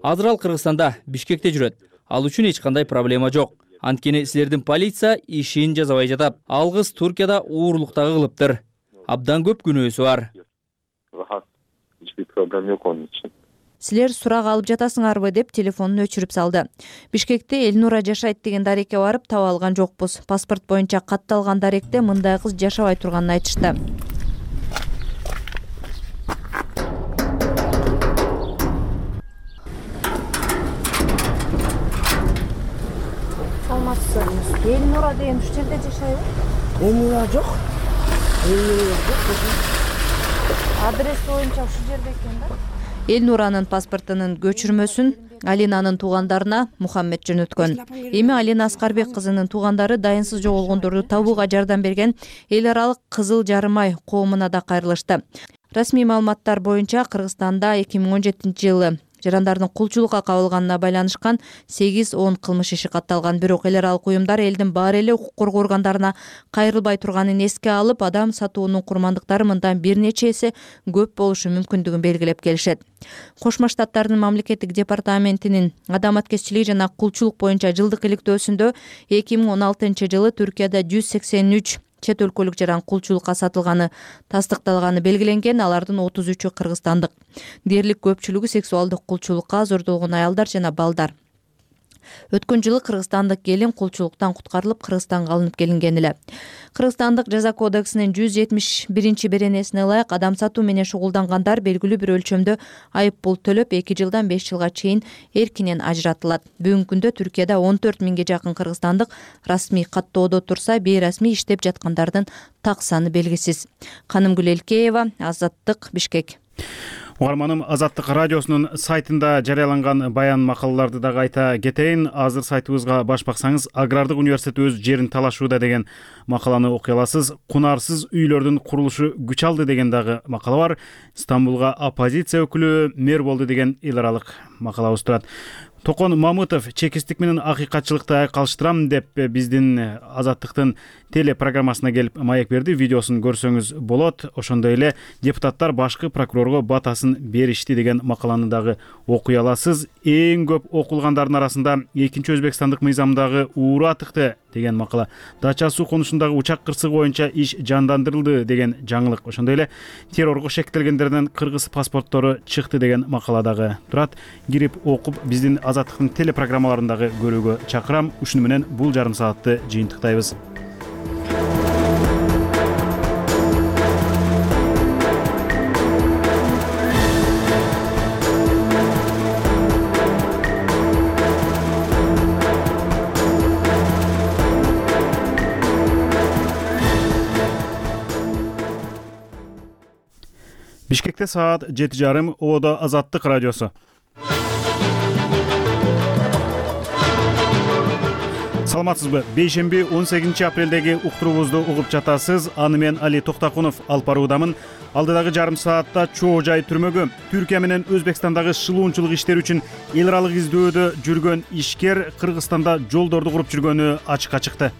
Speaker 8: Азыр ал Кыргызстанда, Бишкекте жүрөт. Ал үчүн эч кандай проблема жок. Анткени силердин полиция ишин жасабай жатат. Ал кыз Туркияда уурлуктагы кылыптыр. Абдан көп күнөөсү бар.
Speaker 22: Rahat. Hiçbir problem yok onun için.
Speaker 20: Силер сурак алып жатасыңарбы деп телефонун өчүрүп салды. Бишкекте Элнура жашайт деген дарекке барып таба алган жокпуз. Паспорт боюнча катталган даректе мындай кыз жашабай турганын айтышты.
Speaker 23: Саламатсызбы? Элнура деген ушул жерде жашайбы? Элнура жок. Адрес боюнча ушул жерде экен да.
Speaker 20: Элнуранын паспортунун көчүрмөсүн Алинанын туугандарына Мухаммед жөнөткөн. Эми Алина Аскарбек кызынын туугандары дайынсыз жоголгондорду табууга жардам берген эл аралык Кызыл жарым ай коомуна да кайрылышты. Расмий маалыматтар боюнча Кыргызстанда 2017-жылы жарандардын кулчулукка кабылганына байланышкан 8-10 кылмыш иши катталган. Бирок эл аралык уюмдар элдин баары эле укук коргоо органдарына кайрылбай турганын эске алып, адам сатуунун курмандыктары мындан бир нече эсе көп болушу мүмкүндүгүн белгилеп келишет. Кошмо Штаттардын мамлекеттик департаментинин адам аткезчилиги жана кулчулук боюнча жылдык иликтөөсүндө 2016-жылы Түркияда 183 чет өлкөлүк жаран кулчулукка сатылганы тастыкталганы белгиленген. Алардын 33-ü кыргызстандык. Дээрлик көпчүлүгү сексуалдык кулчулукка зордолгон аялдар жана балдар. Өткөн жылы кыргызстандык келин кулчулуктан куткарылып Кыргызстанга алынып келинген эле. Кыргызстандык жаза кодексинин 171-беренесине ылайык адам сатуу менен шугулдангандар белгилүү бир өлчөмдө айып пул төлөп 2 жылдан 5 жылга чейин эркинен ажыратылат. Бүгүнкү күндө Түркияда 14 миңге жакын кыргызстандык расмий каттоодо турса, бейрасмий иштеп жаткандардын так саны белгисиз. Канымгүл Элкеева, Азаттык, Бишкек.
Speaker 1: Угарманым, Азаттык радиосунун сайтында жарыяланган баян макалаларды дагы айта кетейин. Азыр сайтыбызга баш баксаңыз, Агрардык университет өз жерин талашууда деген макаланы окуй аласыз. Кунарсыз үйлөрдүн курулушу күч алды деген дагы макала бар. Стамбулга оппозиция өкүлү мэр болду деген эл аралык макалабыз турат. Токон Мамытов чекистик менен акыйкатчылыкты айкалыштырам деп биздин Азаттыктын телепрограммасына келип маек берди. Видеосун көрсөңүз болот. Ошондой эле депутаттар башкы прокурорго батасын беришти деген макаланы дагы окуй аласыз. Эң көп окулгандардын арасында экинчи Өзбекстандык мыйзамдагы ууру атыкты деген макала. Дача суу конушундагы учак кырсыгы боюнча иш жандандырылды деген жаңылык. Ошондой эле террорго шектелгендерден кыргыз паспорттору чыкты деген макала дагы турат. Кирип окуп биздин Азаттыктын телепрограммаларындагы көрүүгө чакырам. Ушуну менен бул жарым саатты жыйынтыктайбыз. Бишкекте саат 7:30. Оодо Азаттык радиосу. саламатсызбы? Бейшемби 18 апрелдеги уктуруубузду угуп жатасыз. Аны мен Али Токтакунов алып баруудамын. Алдыдагы жарым саатта чоо жай түрмөгө Түркия менен Өзбекстандагы шылуунчулук иштери үчүн эл аралык издөөдө жүргөн ишкер Кыргызстанда жолдорду куруп жүргөнү ачыкка чыкты.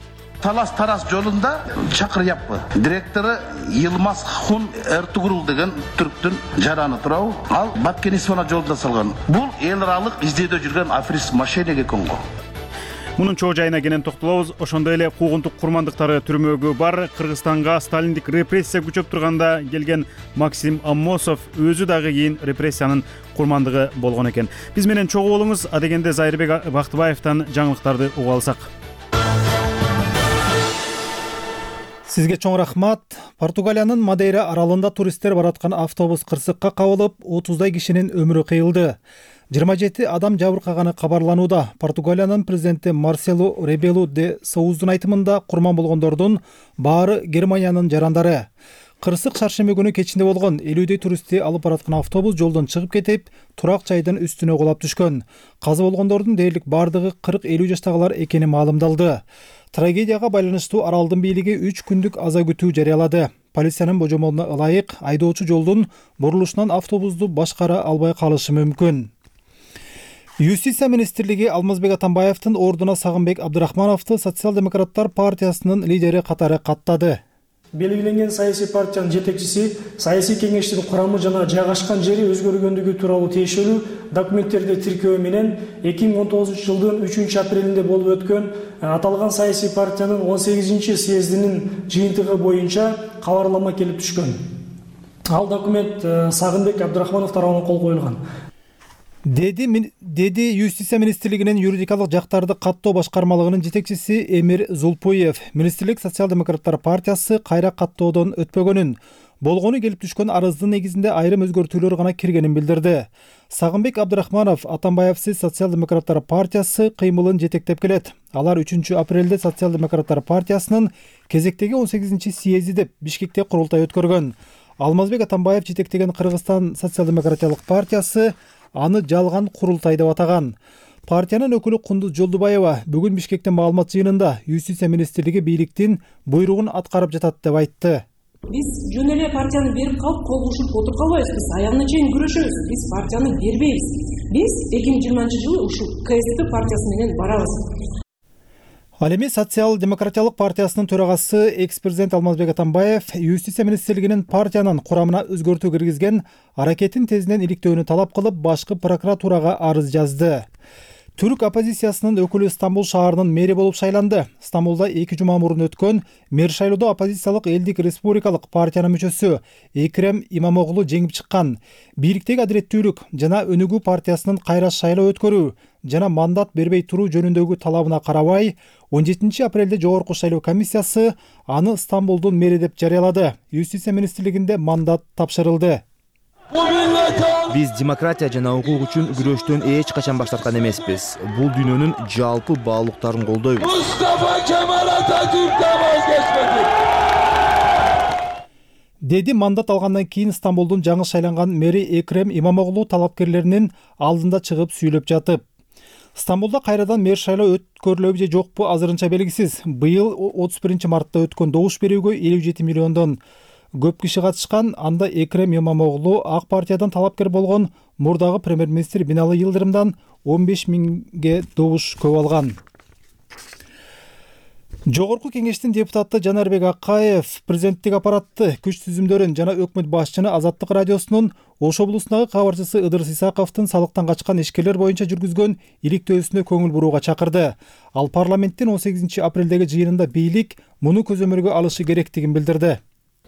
Speaker 6: Талас-тарас жолунда чакыр яппы. Директору Йылмаз Хун Эртугрул деген түрктүн жараны турабы. Ал Баккенисона жолунда салган. Бул эл аралык издөөдө жүргөн аферист мошенник экен го.
Speaker 1: Мунун чоо жайына кенен токтолобуз. Ошондой эле куугунтук курмандыктары түрмөгү бар. Кыргызстанга сталиндик репрессия күчөп турганда келген Максим Аммосов өзү дагы кийин репрессиянын курмандыгы болгон экен. Биз менен чогуу болуңуз. Адегенде Зайырбек Бактыбаевден жаңылыктарды угуп алсак.
Speaker 4: Сизге чоң рахмат. Португалиянын Мадейра аралында туристтер бараткан автобус кырсыкка кабылып, 30дай кишинин өмүрү кыйылды. 27 адам жабыркаганы кабарланууда. Португалиянын президенти Марселу Ребелу де Соуздун айтымында курман болгондордун баары Германиянын жарандары. Кырсык шаршемби күнү кечинде болгон. 50дөй туристти алып бараткан автобус жолдон чыгып кетип, турак жайдын үстүнө кулап түшкөн. Каза болгондордун дээрлик бардыгы 40-50 жаштагылар экени маалымдалды. Трагедияга байланыштуу аралдын бийлиги 3 күндүк аза күтүү жарыялады. Полициянын божомолуна ылайык айдоочу жолдун бурулушунан автобусту башкара албай калышы мүмкүн. Юстиция министрлиги Алмазбек Атамбаевдин ордуна Сагынбек Абдырахмановду Социал-демократтар партиясынын лидери катары каттады.
Speaker 7: Белгиленген саясий партиянын жетекчиси саясий кеңештин курамы жана жайгашкан жери өзгөргөндүгү тууралуу тиешелүү документтерди тиркөө менен 2019-жылдын 3-апрелинде болуп өткөн аталган саясий партиянын 18-съездинин жыйынтыгы боюнча кабарлама келип түшкөн. Ал документ Сагынбек Абдырахманов тарабынан кол коюлган.
Speaker 4: Деди Юстиция министрлигинин юридикалык жактарды каттоо башкармалыгынын жетекчиси Эмир Зулпуев. Министрлик Социал-демократтар партиясы кайра каттоодон өтпөгөнүн, болгону келип түшкөн арыздын негизинде айрым өзгөртүүлөр гана киргенин билдирди. Сагынбек Абдырахманов Атамбаевсиз Социал-демократтар партиясы кыймылын жетектеп келет. Алар 3-апрелде Социал-демократтар партиясынын кезектеги 18-съезди деп Бишкекте курултай өткөргөн. Алмазбек Атамбаев жетектеген Кыргызстан Социал-демократиялык партиясы аны жалган курултай деп атаган. Партиянын өкүлү Кундуз Жолдубаева бүгүн Бишкекте маалымат жыйынында Юстиция министрлиги бийликтин буйругун аткарып жатат деп айтты.
Speaker 9: Биз жөн эле партияны берип калып кол кушуп отуруп калбайбыз. Биз аягына чейин күрөшөбүз. Биз партияны бербейбиз. Биз 2020-жылы ушул КСП партиясы менен барабыз.
Speaker 4: Ал эми Социал-демократиялык партиясынын төрагасы экс-президент Алмазбек Атамбаев Юстиция министрлигинин партиянын курамына өзгөртүү киргизген аракетин тезинен иликтөөнү талап кылып, башкы прокуратурага арыз жазды. Түрк оппозициясынын өкүлү Стамбул шаарынын мэри болуп шайланды. Стамбулда 2 жума мурун өткөн мэр шайлоодо оппозициялык элдик республикалык партиянын мүчөсү Экрем Имамоглу жеңип чыккан. Бийликтеги адилеттүүлүк жана өнүгүү партиясынын кайра шайлоо өткөрүү жана мандат бербей туруу жөнүндөгү талабына карабай, 17-апрелде жогорку шайлоо комиссиясы аны Стамбулдун мэри деп жарыялады. Юстиция министрлигинде мандат тапшырылды.
Speaker 19: Биз демократия жана укук үчүн күрөштөн эч качан баш тарткан эмеспиз. Бул дүйнөнүн жалпы баалуулуктарын колдойбуз.
Speaker 17: Mustafa Kemal Atatürk'ten vazgeçmedik.
Speaker 4: Деди мандат алгандан кийин Стамбулдун жаңы шайланган мэри Экрем Имамоглу талапкерлеринин алдында чыгып сүйлөп жатып. Стамбулда кайрадан мэр шайлоо өткөрүлөбү же жокпу азырынча белгисиз. Быйыл 31-мартта өткөн добуш берүүгө 57 миллиондон көп киши катышкан. Анда Экрем Имамоглу ак партиядан талапкер болгон мурдагы премьер-министр Бинали Йылдырымдан 15 миңге добуш көп алган. Жогорку кеңештин депутаты Жанарбек Акаев президенттик аппаратты, күч түзүмдөрүн жана өкмөт башчыны Азаттык радиосунун Ош облусундагы кабарчысы Ыдырыс Исаковдун салыктан качкан ишкерлер боюнча жүргүзгөн иликтөөсүнө көңүл бурууга чакырды. Ал парламенттин 18-апрелдеги жыйынында бийлик муну көзөмөлгө алышы керектигин билдирди.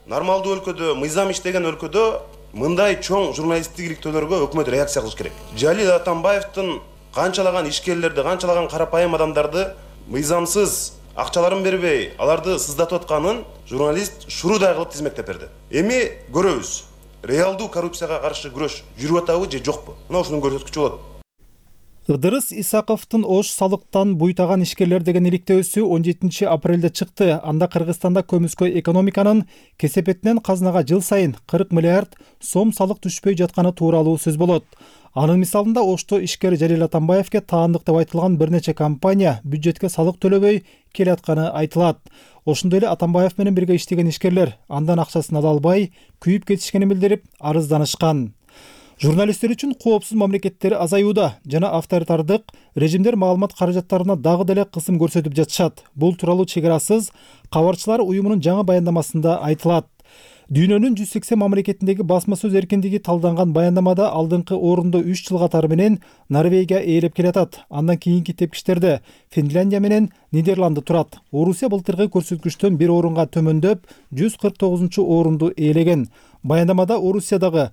Speaker 24: Нормалдуу өлкөдө, мыйзам иштеген өлкөдө мындай чоң журналисттик иликтөөлөргө өкмөт реакция кылыш керек. Жалил Атамбаевдин канчалаган ишкерлерди, канчалаган карапайым адамдарды мыйзамсыз акчаларын бербей, аларды сыздатып атканын журналист шуруудай кылып тизмектеп берди. Эми көрөбүз. Реалдуу коррупцияга каршы күрөш жүрүп атабы же жокпу? Мына ушуну көрсөткүчү болот.
Speaker 4: Ыдырыс Исаковдун Ош салыктан буйтаган ишкерлер деген иликтөөсү 17 апрелде чыкты. Анда Кыргызстанда көмүскө экономиканын кесепетинен казынага жыл сайын 40 миллиард сом салык түшпөй жатканы тууралуу сөз болот. Анын мисалында Ошто ишкер Жалил Атамбаевке таандык деп айтылган бир нече компания бюджетке салык төлөбөй келатканы айтылат. Ошондой эле Атамбаев менен бирге иштеген ишкерлер андан акчасын ала албай, күйүп кетишкенин билдирип, арызданышкан. Журналисттер үчүн коопсуз мамлекеттер азаюуда жана авторитардык режимдер маалымат каражаттарына дагы деле кысым көрсөтүп жатышат. Бул тууралуу Чек арасыз кабарчылар уюмунун жаңы баяндамасында айтылат. Дүйнөнүн 180 мамлекетиндеги басма сөз эркиндиги талданган баяндамада алдыңкы орунду 3 жыл катары менен Норвегия ээлеп келатат. Андан кийинки тепкичтерде Финляндия менен Нидерланды турат. Орусия былтыркы көрсөткүчтөн бир орунга төмөндөп 149 орунду ээлеген. Баяндамада Орусиядагы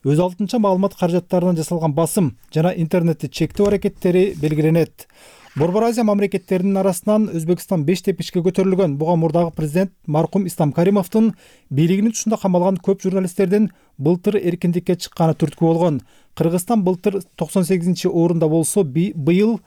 Speaker 4: өз алдынча маалымат каражаттарынан жасалган басым жана интернетти чектөө аракеттери белгиленет. Борбор Азия мамлекеттеринин арасынан Өзбекстан 5 тепкичке көтөрүлгөн. Буга мурдагы президент маркум Ислам Каримовдун бийлигинин тушунда камалган көп журналисттердин былтыр эркиндикке чыкканы түрткү болгон. Кыргызстан былтыр 98 орунда болсо, быйыл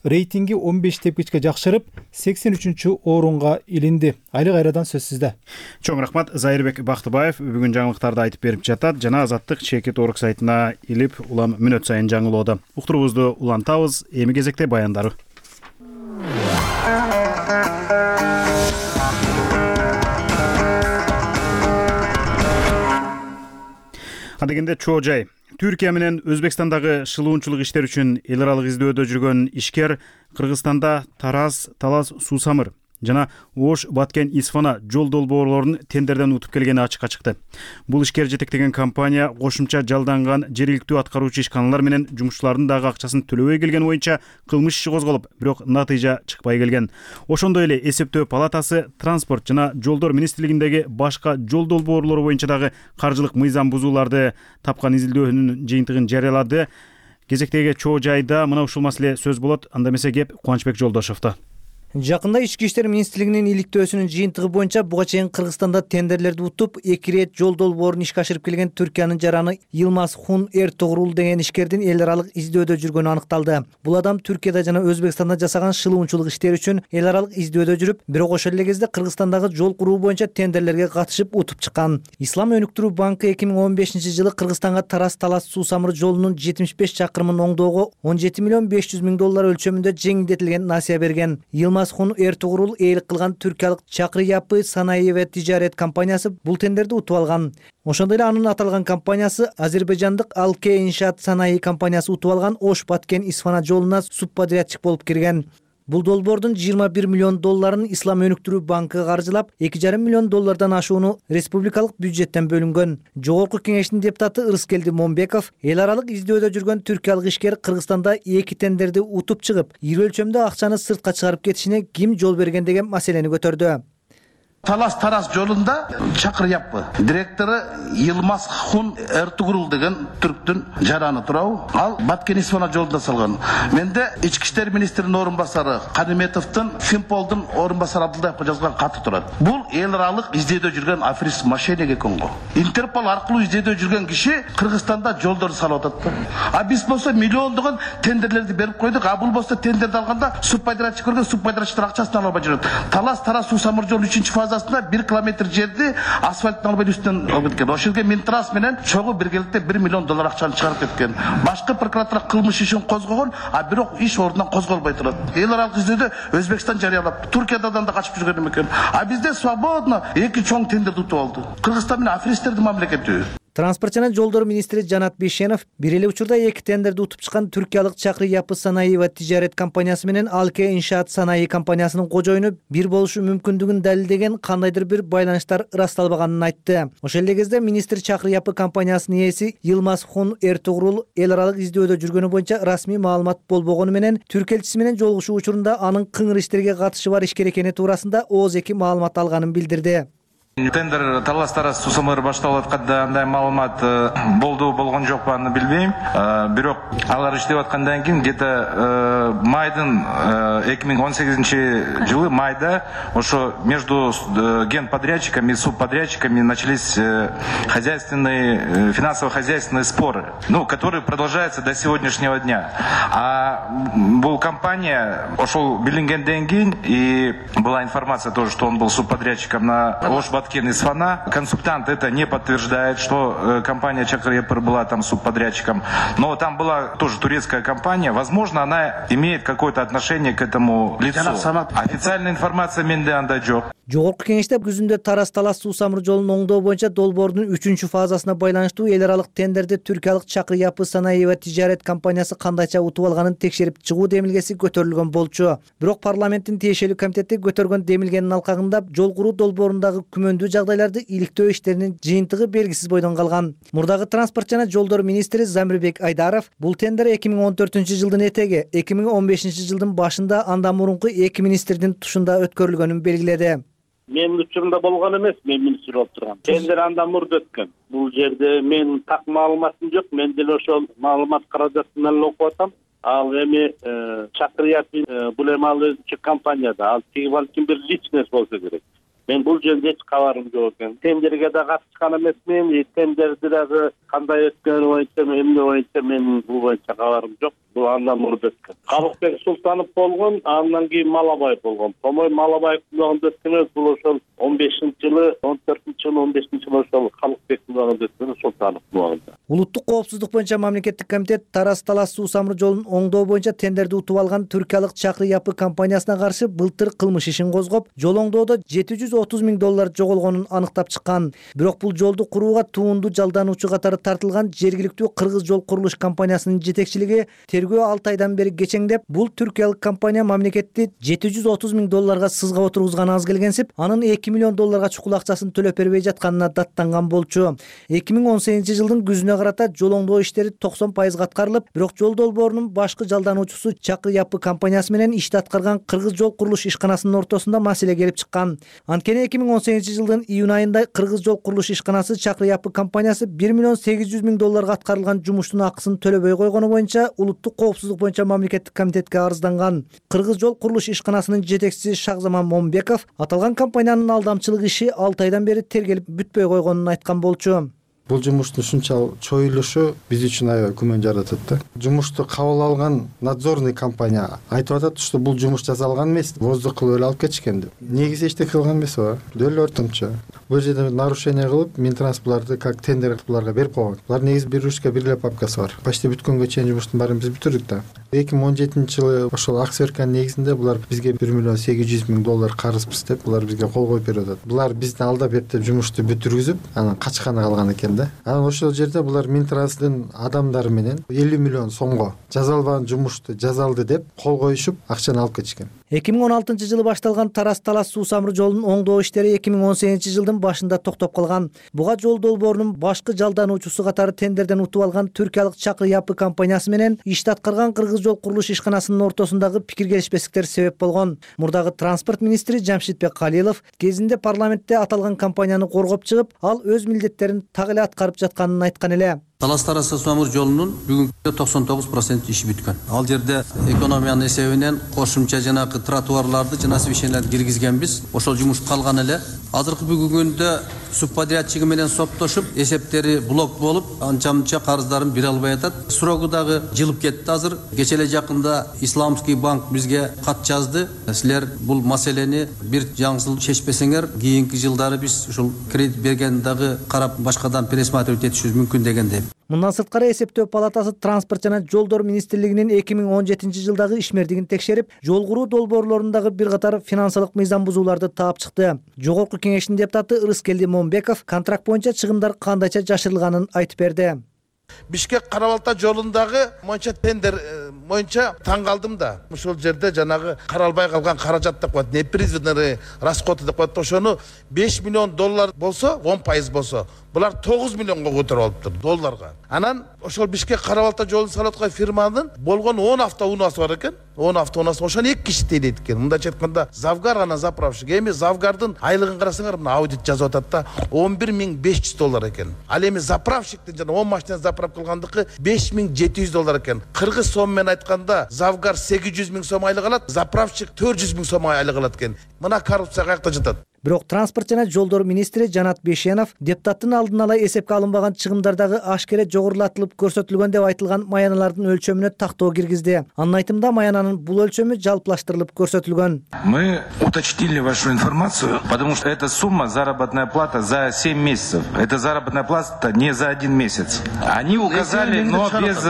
Speaker 4: рейтинги 15 тепкичке жакшырып 83 орунга илинди. Айлык Айрадан сөз сизде.
Speaker 1: Чоң рахмат. Зайырбек Бактыбаев бүгүн жаңылыктарды айтып берип жатат жана Азаттык Чекит Орг сайтына илип улам мүнөт сайын жаңылоодо. Уктуруубузду улантабыз. Эми кезекте баяндары. Адегенде чоо жай. Түркия менен Өзбекстандагы шылуунчулук иштер үчүн эл аралык издөөдө жүргөн ишкер Кыргызстанда Тараз, Талас, Суу-Самыр жана Ош, Баткен, Исфана жол долбоорлорун тендерден утуп келгени ачыкка чыкты. Бул ишкер жетектеген компания кошумча жалданган жергиликтүү аткаруучу ишканалар менен жумушчулардын дагы акчасын төлөбөй келгени боюнча кылмыш иши козголуп, бирок натыйжа чыкпай келген. Ошондой эле эсептөө палатасы транспорт жана жолдор министрлигиндеги башка жол долбоорлору боюнча дагы каржылык мыйзам бузууларды тапкан изилдөөнүн жыйынтыгын жарыялады. Кезектеги чоо жайда мына ушул маселе сөз болот. Анда эмесе кеп Кубанычбек Жолдошовдо.
Speaker 10: Жакында Ички иштер министрлигинин иликтөөсүнүн жыйынтыгы боюнча буга чейин Кыргызстанда тендерлерди утуп, 2 рет жол долбоорун ишке ашырып келген Түркиянын жараны Йылмаз Хун Эртугрул деген ишкердин эл аралык издөөдө жүргөнү аныкталды. Бул адам Түркияда жана Өзбекстанда жасаган шылуунчулук иштери үчүн эл аралык издөөдө жүрүп, бирок ошол эле кезде Кыргызстандагы жол куруу боюнча тендерлерге катышып утуп чыккан. Ислам өнүктүрүү банкы 2015-жылы Кыргызстанга Тараз-Талас Суу-Самыр жолунун 75 чакырымын оңдоого 17 миллион 500 миң доллар өлчөмүндө жеңилдетилген насыя берген. Хун Эртугрул ээлик кылган түркиялык Чакры Япы санаи ва тижарет компаниясы бул тендерди утуп алган. Ошондой эле анын аталган компаниясы азербайжандык Алке иншаат санаи компаниясы утуп алган Ош Баткен Исфана жолуна субподрядчик болуп кирген. Бул долбоордун 21 миллион долларын Ислам өнүктүрүү банкы каржылап, 2,5 миллион доллардан ашууну республикалык бюджеттен бөлүнгөн. Жогорку кеңештин депутаты Ырыскелди Момбеков эл аралык издөөдө жүргөн түркиялык ишкер Кыргызстанда 2 тендерди утуп чыгып, ири өлчөмдө акчаны сыртка чыгарып кетишине ким жол берген деген маселени көтөрдү.
Speaker 6: Талас-Тарас жолунда Чакры Япы директору Йылмаз Хун Эртугрул деген түрктүн жараны турабы. Ал Баткен Исфана жолунда салган. Менде Ички иштер министринин орун басары Кадиметовдун, Финполдун орун басары Абдулдаевге жазган каты турат. Бул эл аралык издөөдө жүргөн аферист мошенник экен го. Интерпол аркылуу издөөдө жүргөн киши Кыргызстанда жолдор салып атат. А биз болсо миллиондогон тендерлерди берип койдук. А бул болсо тендерди алганда субподрядчик көргөн, субподрядчиктер акчасын ала албай жүрөт. Талас-Тарас Суу-Самыр жолу 3 фаза 1 километр жерди асфальттын албай үстүнөн алып кеткен. Ошол жерге Минтрас менен чогуу биргеликте 1 миллион доллар акчаны чыгарып кеткен. Башкы прокуратура кылмыш ишин козгогон, а бирок иш ордунан козголбой турат. Эл аралык издөөдө Өзбекстан жарыялап, Туркиядан да качып жүргөн экен. А бизде свободно 2 чоң тендерди утуп алды. Кыргызстан менен аферисттердин мамлекети.
Speaker 10: Транспорт жана жолдор министри Жанат Бейшенов бир эле учурда 2 тендерди утуп чыккан түркиялык Чакры Япы санаи ва тижарет компаниясы менен Алке иншаат санаи компаниясынын кожоюну бир болушу мүмкүндүгүн далилдеген кандайдыр бир байланыштар ырасталбаганын айтты. Ошол эле кезде министр Чакры Япы компаниясынын ээси Йылмаз Хун Эртугрул эл аралык издөөдө жүргөнү боюнча расмий маалымат болбогону менен Түрк элчиси менен жолугушуу учурунда анын кыңыр иштерге катышы бар ишкер экени туурасында ооз эки маалымат алганын билдирди.
Speaker 3: Тендер таластары сусамыр башталып атканда андай маалымат болгон жокпу аны билбейм. Бирок алар иштеп аткандан кийин где-то майдын 2018 жылы майда ошо между генподрядчиками и субподрядчиками начались хозяйственные, финансово-хозяйственные споры, которые продолжаются до сегодняшнего дня. А бул компания ошол билингенден кийин, и была информация тоже, что он был субподрядчиком на Ош Баткен из Фана. Консультант это не подтверждает, что компания Чакыр Япыр была там субподрядчиком. Но там была тоже турецкая компания. Возможно, она имеет какое-то отношение к этому лицу. Официальная информация менде анда жок.
Speaker 10: Жогорку кеңеште күзүндө Тарас Талас суу самыр жолун оңдоо боюнча долбоордун 3 фазасына байланыштуу эл аралык тендерди түркиялык Чакыр Япы санаиба тижарет компаниясы кандайча утуп алганын текшерип чыгуу демилгеси көтөрүлгөн болчу. Бирок парламенттин тиешелүү комитети көтөргөн демилгенин алкагында жол куруу долбоорундагы күмөндүү жагдайларды иликтөө иштеринин жыйынтыгы белгисиз бойдон калган. Мурдагы транспорт жана жолдор министри Замирбек Айдаров бул тендер 2014 жылдын этеги 2015 жылдын башында андан мурунку эки министрдин тушунда өткөрүлгөнүн белгиледи.
Speaker 11: Менин учурумда болгон эмес, мен министр болуп тургам. Тендер андан мурда өткөн. Бул жерде мен так маалыматым жок. Мен деле ошол маалымат каражатын эле окуп атам. Ал эми Чакыр Япы бул эми ал өзүнчө компанияда, ал тиги балким бир личность болсо керек. Мен бул жерде эч кабарым жок экен. Тендерге да катышкан эмесмин. Тендерди дагы кандай өткөнү боюнча, эмне боюнча мен бул боюнча кабарым жок. Бул андан мурда өткөн. Калыкбек Султанов болгон, андан кийин Малабаев болгон. Томой Малабаевдин убагында өткөн бул ошол 15-жылы, 14-жылы, 15-жылы ошол Калыкбектин убагында өткөн Султановдун убагында.
Speaker 10: Улуттук коопсуздук боюнча мамлекеттик комитет Тарас Талас суу самыр жолун оңдоо боюнча тендерди утуп алган түркиялык Чакыр Япы компаниясына каршы былтыр кылмыш ишин козгоп, жол оңдоодо $730 миң жоголгонун аныктап чыккан. Бирок бул жолду курууга туунду жалдануучу катары тартылган жергиликтүү Кыргыз жол курулуш компаниясынын жетекчилиги тергөө 6 айдан бери кечеңдеп, бул түркиялык компания мамлекетти $730 миң сызга отургузган аз келгенсип, анын $2 миллион чукул акчасын төлөп бербей жатканына даттанган болчу. 2018 жылдын күзүнө карата жол оңдоо иштери 90% аткарылып, бирок жол долбоорунун башкы жалдануучусу Чакыр Япы компаниясы менен ишти аткарган Кыргыз жол курулуш ишканасынын ортосунда маселе келип чыккан. Анткени 2018 жылдын июнь айында Кыргыз жол курулуш ишканасы Чакыр Япы компаниясы $1 миллион 800 миң аткарылган жумуштун акысын төлөбөй койгону боюнча улуттук коопсуздук боюнча мамлекеттик комитетке арызданган. Кыргыз жол курулуш ишканасынын жетекчиси Шахзаман Момбеков аталган компаниянын алдамчылык иши 6 айдан бери тергелип бүтпөй койгонун айткан болчу.
Speaker 12: Бул жумуштун ушунча чоюлушу биз үчүн аябай күмөн жаратат да. Жумушту кабыл алган надзорный компания айтып атат, что бул жумуш жасалган эмес, воздух кылып эле алып кетишкен деп. Негизи эчтеке кылган эмес ооба. Дөл ортомчо. Бул жерде нарушение кылып, Минтранспортларды как тендер буларга берип койгон. Булар негизи бир ручка, бир эле папкасы бар. Почти бүткөнгө чейин жумуштун баарын биз бүтүрдүк да. 2017 жылы ошол аксиверканын негизинде булар бизге $1 миллион 800 миң карызбыз деп булар бизге кол коюп берип атат. Булар бизди алдап берип деп жумушту бүтүргүзүп, анан качканы калган экен да. Анан ошол жерде булар Минтранстын адамдары менен $50 миллион жазалбаган жумушту жазалды деп кол коюшуп, акчаны алып кетишкен.
Speaker 10: 2016 жылы башталган Тарас Талас суу самыр жолунун оңдоо иштери 2018 жылдын башында токтоп калган. Буга жол долбоорунун башкы жалдануучусу катары тендерден утуп алган түркиялык Чакыр Япы компаниясы менен ишти аткарган Кыргыз жол курулуш ишканасынын ортосундагы пикир келишпестиктер себеп болгон. Мурдагы транспорт министри Жамшитбек Калилов кезинде парламентте аталган компанияны коргоп чыгып, ал өз милдеттерин так эле аткарып жатканын айткан эле.
Speaker 13: Талас-Тарас суу самыр жолунун бүгүнкү 99% иши бүткөн. Ал жерде экономиянын эсебинен кошумча жанагы тротуарларды жана освещенияларды киргизгенбиз. Ошол жумуш калган эле. Азыркы бүгүнкү күндө субподрядчиги менен соттошуп, эсептери блок болуп, анча-мынча карыздарын бере албай атат. Срогу дагы жылып кетти азыр. Кече эле жакында Исламский банк бизге кат жазды. Силер бул маселени бир жаңсыл чечпесеңер, кийинки жылдары биз ушул кредит берген дагы карап башкадан пересматривать этишибиз мүмкүн деген деп.
Speaker 10: Мындан сырткары эсептөө палатасы транспорт жана жолдор министрлигинин 2017 жылдагы ишмердигин текшерип, жол куруу долбоорлорундагы бир катар финансылык мыйзам бузууларды таап чыкты. Жогорку кеңештин депутаты Ырыскелди Момбеков контракт боюнча чыгымдар кандайча жашырылганын айтып берди.
Speaker 6: Бишкек Карабалта жолундагы моюнча тендер боюнча таң калдым да. Ошол жерде жанагы каралбай калган каражат деп коет, непризванный расходы деп коет. Ошону $5 миллион болсо, 10% болсо,
Speaker 14: булар 9 миллионго көтөрүп алыптыр долларга. Анан ошол Бишкек Кара Балта жолун салып аткан фирманын болгон 10 автоунаасы бар экен. 10 автоунасы ошону 2 киши тейлейт экен. Мындайча айтканда Завгар анан заправщик. Эми Завгардын айлыгын карасаңар, мына аудит жазып атат да, $11,500 экен. Ал эми заправщиктин жана 10 машина заправка кылгандыкы $5,700 экен. Кыргыз сом менен айтканда Завгар 800,000 сом айлык алат, заправщик 400,000 сом айлык алат экен. Мына коррупция каякта жатат?
Speaker 10: Бирок транспорт жана жолдор министри Жанат Бейшенов депутаттын алдын ала эсепке алынбаган чыгымдардагы ашкере жогорулатылып көрсөтүлгөн деп айтылган маяналардын өлчөмүнө тактоо киргизди. Анын айтымында маянанын бул өлчөмү жалпылаштырылып көрсөтүлгөн.
Speaker 3: Мы уточнили вашу информацию, потому что эта сумма заработная плата за 7 месяцев. Это заработная плата не за 1 месяц. Они указали, но без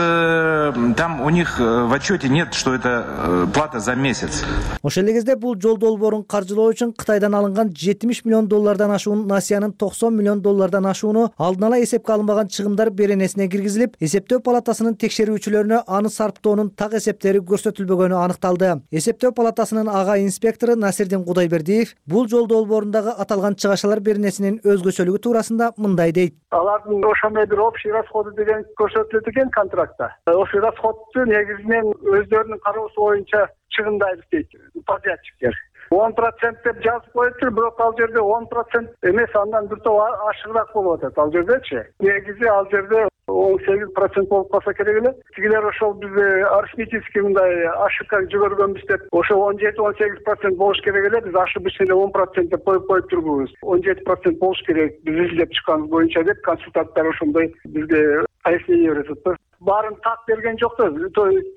Speaker 3: там у них в отчете нет, что это плата за месяц.
Speaker 10: Ошол эле кезде бул жол долбоорун каржылоо үчүн Кытайдан алынган $70 миллион ашуун, Насиянын $90 миллион ашууну алдын ала эсепке алынбаган чыгымдар беренесине киргизилип, эсептөө палатасынын текшерүүчүлөрүнө аны сарптоонун так эсептери көрсөтүлбөгөнү аныкталды. Эсептөө палатасынын ага инспектору Насирдин Кудайбердиев бул жол долбоорундагы аталган чыгашалар беренесинин өзгөчөлүгү туурасында мындай дейт.
Speaker 15: Алардын ошондой бир общий расходу деген көрсөтүлөт экен контрактта. Ошол расходду негизинен өздөрүнүн кароосу боюнча чыгымдайбыз дейт подрядчиктер. 10% деп жазып коюптур, бирок ал жерде 10% эмес, андан бир топ ашыгыраак болуп атат ал жердечи. Негизи ал жерде 18% болуп калса керек эле. Тигилер ошол бизде арифметический мындай ошибка жибергөнбүз деп, ошол 17-18% болуш керек эле. Биз ошибочно 10% деп коюп турбуз. 17% болуш керек биз изилдеп чыкканыбыз боюнча деп консультанттар ошондой бизге пояснение берип атат. Баарын так берген жок да,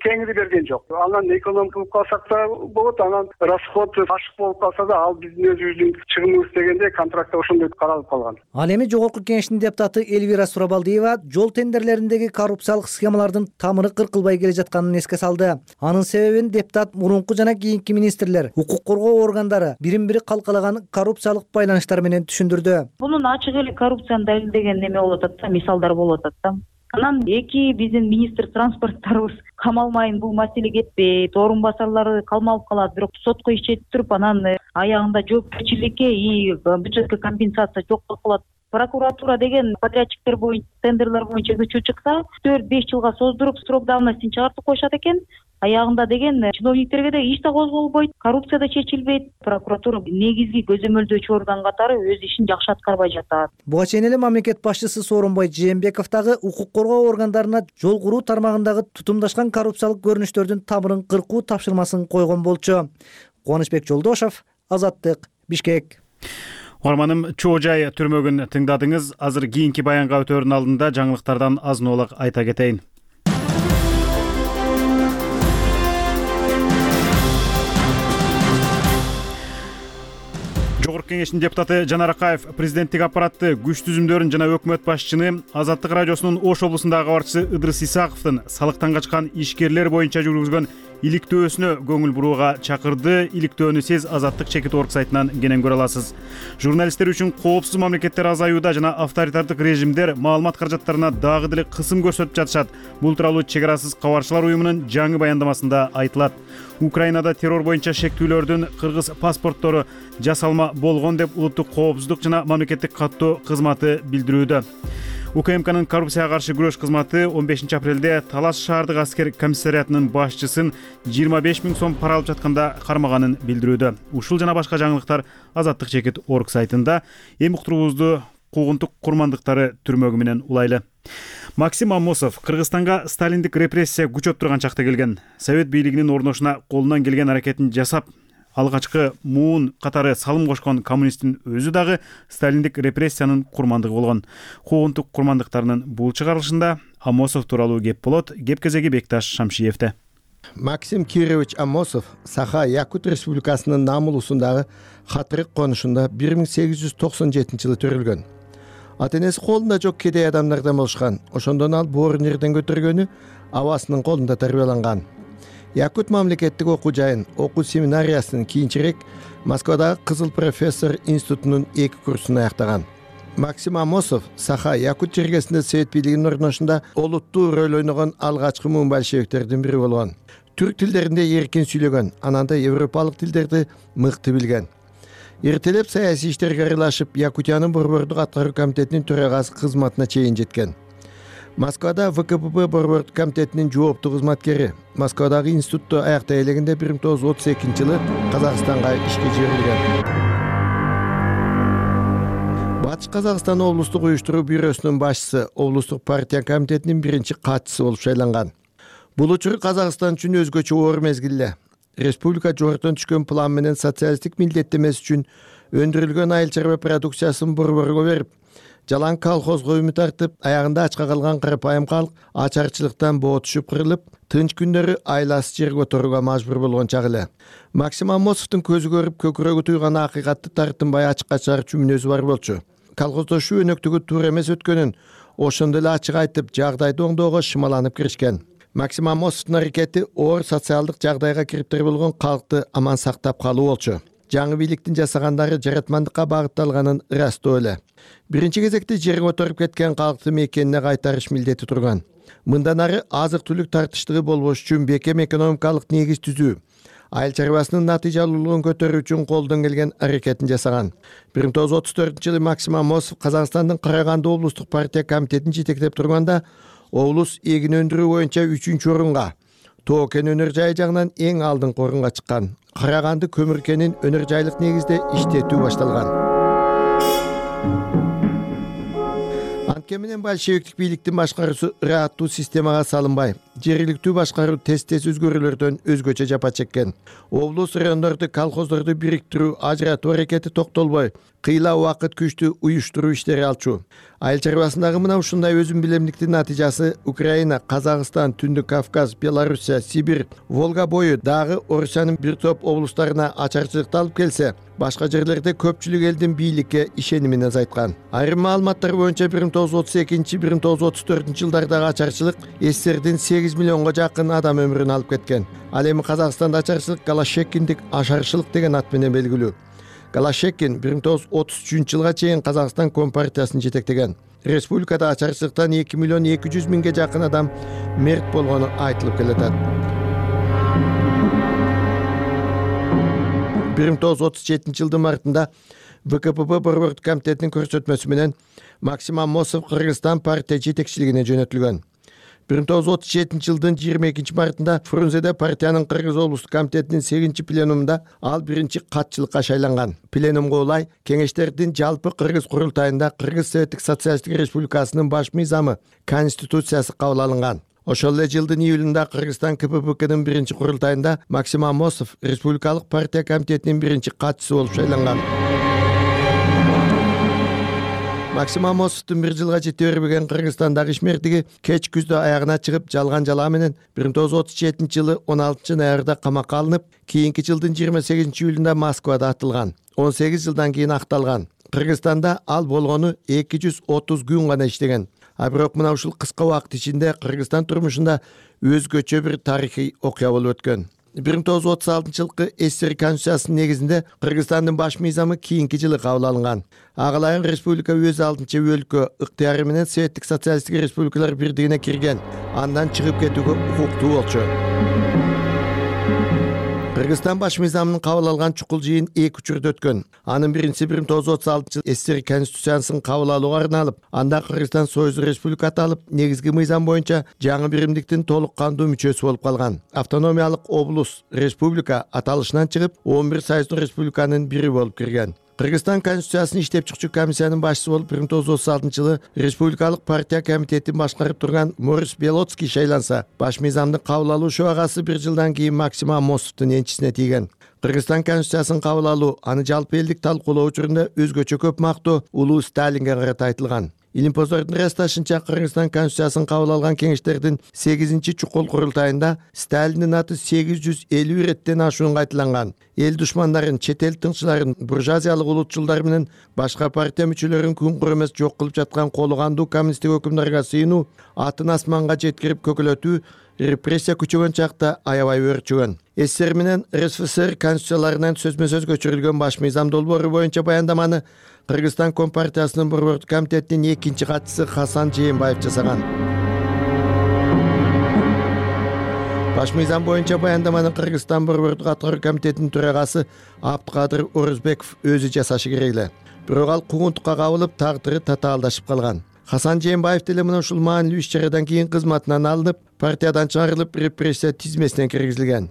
Speaker 15: кеңири берген жок. Анан экономия кылып калсак да болот, анан расход ашык болуп калса да, ал биздин өзүбүздүн чыгымыбыз дегенде контрактта ошондой каралып калган.
Speaker 10: Ал эми Жогорку Кеңештин депутаты Эльвира Сурабалдиева жол тендерлериндеги коррупциялык схемалардын тамыры кыркылбай келе жатканын эске салды. Анын себебин депутат мурунку жана кийинки министрлер, укук коргоо органдары бирин-бири калкалаган коррупциялык байланыштар менен түшүндүрдү.
Speaker 16: Бунун ачык эле коррупцияны далилдеген неме болуп атат да, мисалдар болуп атат да. Анан эки биздин министр транспорттарыбыз камалмайын, бул маселе кетпейт, орун басарлары калмалып калат, бирок сотко иш чечип туруп, анан аягында жоопкерчиликке и бюджетке компенсация жок болуп калат. Прокуратура деген подрядчиктер боюнча, тендерлер боюнча көчүп чыкса, 4-5 жылга создуруп срок давностин чыгартып коюшат экен. Аягында деген чиновниктерге да иш да козголбойт, коррупция да чечилбейт. Прокуратура негизги көзөмөлдөөчү орган катары өз ишин жакшы аткарбай жатат.
Speaker 10: Буга чейин эле мамлекет башчысы Сооронбай Жээнбеков дагы укук коргоо органдарына жол куруу тармагындагы тутумдашкан коррупциялык көрүнүштөрдүн тамырын кыркуу тапшырмасын койгон болчу. Кубанычбек Жолдошов, Азаттык, Бишкек.
Speaker 1: Угарманым, чоо жай түрмөгүн тыңдадыңыз. Азыр кийинки баянга өтөөрдүн алдында жаңылыктардан азын-аулак айта кетейин. Жогорку Кеңештин депутаты Жанар Акаев президенттик аппаратты, күч түзүмдөрүн жана өкмөт башчыны Азаттык радиосунун Ош облусундагы кабарчысы Ыдырыс Исаковдун салыктан качкан ишкерлер боюнча жүргүзгөн иликтөөсүнө көңүл бурууга чакырды. Иликтөөнү сиз Азаттык чекит орг сайтынан кенен көрө аласыз. Журналисттер үчүн коопсуз мамлекеттер азаюуда жана авторитардык режимдер маалымат каражаттарына дагы деле кысым көрсөтүп жатышат. Бул тууралуу Чек арасыз кабарчылар уюмунун жаңы баяндамасында айтылат. Украинада террор боюнча шектүүлөрдүн кыргыз паспорттору жасалма болгон деп улуттук коопсуздук жана мамлекеттик каттоо кызматы билдирүүдө. УКМКнын коррупцияга каршы күрөш кызматы 15 апрелде Талас шаардык аскер комиссариатынын башчысын 25 000 сом пара алып жатканда кармаганын билдирүүдө. Ушул жана башка жаңылыктар Азаттык чекит орг сайтында. Эми уктуруубузду куугунтук курмандыктары түрмөгү менен улайлы. Максим Амосов Кыргызстанга сталиндик репрессия күчөп турган чакта келген. Совет бийлигинин орношуна колунан келген аракетин жасап, алгачкы муун катары салым кошкон коммунисттин өзү дагы сталиндик репрессиянын курмандыгы болгон. Куугунтук курмандыктарынын бул чыгарылышында Амосов тууралуу кеп болот. Кеп кезеги Бекташ Шамшиевде.
Speaker 18: Максим Кирович Амосов Саха Якут Республикасынын Намулусундагы Хатырык конушунда 1897 жылы төрүлгөн. Ата-энеси колунда жок кедей адамдардан болушкан. Ошондон ал боорун жерден көтөргөнү абасынын колунда тарбияланган. Якут мамлекеттик окуу жайын, окуу семинариясын кийинчерээк Москвадагы Кызыл профессор институтунун 2 курсун аяктаган. Максим Амосов Саха Якут жергесинде Совет бийлигинин орношунда олуттуу роль ойногон алгачкы муун большевиктердин бири болгон. Түрк тилдеринде эркин сүйлөгөн, анан да европалык тилдерди мыкты билген. Эртелеп саясий иштерге аралашып, Якутиянын борбордук аткаруу комитетинин төрагасы кызматына чейин жеткен. Москвада ВКПБ борбордук комитетинин жооптуу кызматкери. Москвадагы институтта аяктай элегинде 1932-жылы Казакстанга ишке жиберилген. Батыш Казакстан облустук уюштуруу бюросунун башчысы, облустук партия комитетинин биринчи катчысы болуп шайланган. Бул учур Казакстан үчүн өзгөчө оор мезгил эле. Республика жогорудон түшкөн план менен социалисттик милдеттемеси үчүн өндүрүлгөн айыл чарба продукциясын борборго берип, жалаң колхозго үмүт артып, аягында ачка калган карапайым калк ачарчылыктан боо түшүп кырылып, тынч күндөрү айласы жерге отурууга мажбур болгон чак эле. Максим Амосовдун көзү көрүп көкүрөгү туйган акыйкатты тартынбай ачыкка чыгарчу мүнөзү бар болчу. Колхоздошуу өнөктүгү туура эмес өткөнүн ошондо эле ачык айтып, жагдайды оңдоого шымаланып киришкен. Максим Амосовдун аракети оор социалдык жагдайга кириптер болгон калкты аман сактап калуу болчу. Жаңы бийликтин жасагандары жаратмандыкка багытталганын ырастоо эле. Биринчи кезекте жерге отуруп кеткен калкты мекенине кайтарыш милдети турган. Мындан ары азык-түлүк тартыштыгы болбош үчүн бекем экономикалык негиз түзүү, айыл чарбасынын натыйжалуулугун көтөрүү үчүн колдон келген аракетин жасаган. 1934-жылы Максим Амосов Казакстандын Караганды облустук партия комитетин жетектеп турганда, облус эгин өндүрүү боюнча 3-орунга, Тоо кен өнөр жайы жагынан эң алдыңкы орунга чыккан. Караганды көмүр кенин өнөр жайлык негизде иштетүү башталган. Анткени менен большевиктик бийликтин башкаруусу ыраттуу системага салынбай, жергиликтүү башкаруу тез өзгөрүүлөрдөн өзгөчө жапа чеккен. Облус райондорду, колхоздорду бириктирүү, ажыратуу аракети токтолбой, кыйла убакыт күчтүү уюштуруу иштери алчу. Айыл чарбасындагы мына ушундай өзүн билемдиктин натыйжасы Украина, Казакстан, Түндүк Кавказ, Белоруссия, Сибирь, Волга бою дагы Орусиянын бир топ облустарына ачарчылыкты алып келсе, башка жерлерде көпчүлүк элдин бийликке ишенимин азайткан. Айрым маалыматтар боюнча 1932-1934 жылдардагы ачарчылык СССРдин 8 миллионго жакын адам өмүрүн алып кеткен. Ал эми Казакстанда ачарчылык Голощекиндик ашарчылык деген ат менен белгилүү. Голощекин 1933-жылга чейин Казакстан Компартиясын жетектеген. Республикада ачарчылыктан 2 миллион 200 миңге жакын адам мерт болгону айтылып келатат. 1937-жылдын мартында ВКПБ борбордук комитетинин көрсөтмөсү менен Максим Амосов Кыргызстан партия жетекчилигине жөнөтүлгөн. 1937-жылдын 22 мартында Фрунзеде партиянын Кыргыз облустук комитетинин 8 пленумунда ал биринчи катчылыкка шайланган. Пленумга улай кеңештердин жалпы Кыргыз курултайында Кыргыз Советтик Социалисттик Республикасынын баш мыйзамы Конституциясы кабыл алынган. Ошол эле жылдын июлунда Кыргызстан КППКнын биринчи курултайында Максим Амосов Республикалык партия комитетинин биринчи катчысы болуп шайланган. Максим Амосовдун бир жылга жете бербеген Кыргызстандагы ишмердиги кеч күздө аягына чыгып, жалган жалаа менен 1937-жылы 16-ноябрда камакка алынып, кийинки жылдын 28-июлунда Москвада атылган. 18 жылдан кийин акталган. Кыргызстанда ал болгону 230 күн гана иштеген. А бирок мына ушул кыска убакыт ичинде Кыргызстан турмушунда өзгөчө бир тарыхый окуя болуп өткөн. 1936-жылкы СССР Конституциясынын негизинде Кыргызстандын баш мыйзамы кийинки жылы кабыл алынган. Ага ылайык республика өз алдынча өлкө ыктыяры менен Советтик Социалисттик Республикалар бирдигине кирген, андан чыгып кетүүгө укуктуу болчу. Кыргызстан баш мыйзамын кабыл алган чукул жыйын 2 учурда өткөн. Анын биринчиси 1936-жылы СССР Конституциясын кабыл алууга арналып, анда Кыргызстан Союздук Республика аталып, негизги мыйзам боюнча жаңы биримдиктин толук кандуу мүчөсү болуп калган. Автономиялык облус, республика аталышынан чыгып, 11 союздук республиканын бири болуп кирген. Кыргызстан Конституциясын иштеп чыкчу комиссиянын башчысы болуп 1936-жылы Республикалык партия комитетин башкарып турган Морис Белоцкий шайланса, баш мыйзамды кабыл алуу шубагасы бир жылдан кийин Максим Амосовдун энчисине тийген. Кыргызстан Конституциясын кабыл алуу, аны жалпы элдик талкуулоо учурунда өзгөчө көп мактоо улуу Сталинге карата айтылган. Илимпоздордун ырасташынча Кыргызстан Конституциясын кабыл алган кеңештердин 8-чи чукул курултайында Сталиндин аты 850 иреттен ашуунга айтылган. Эл душмандарын, чет эл тыңчыларын, буржуазиялык улутчулдар менен башка партия мүчөлөрүн күн куру эмес жок кылып жаткан колу кандуу коммунисттик өкүмдарга сыйынуу, атын асманга жеткирип көкөлөтүү, репрессия күчөгөн чакта аябай өрчүгөн. СССР менен РСФСР конституцияларынан сөзмө-сөз көчүрүлгөн баш мыйзам долбоору боюнча баяндаманы Кыргызстан Компартиясынын борбордук комитетинин 2-чи катчысы Хасан Жээнбаев жасаган. Баш мыйзам боюнча баяндаманы Кыргызстан Борбордук аткаруу комитетинин төрагасы Абдыкадыр Орузбеков өзү жасашы керек эле. Бирок ал куугунтукка кабылып, тагдыры татаалдашып калган. Хасан Жээнбаев деле мына ушул маанилүү иш-чарадан кийин кызматынан алынып, партиядан чыгарылып, репрессия тизмесине киргизилген.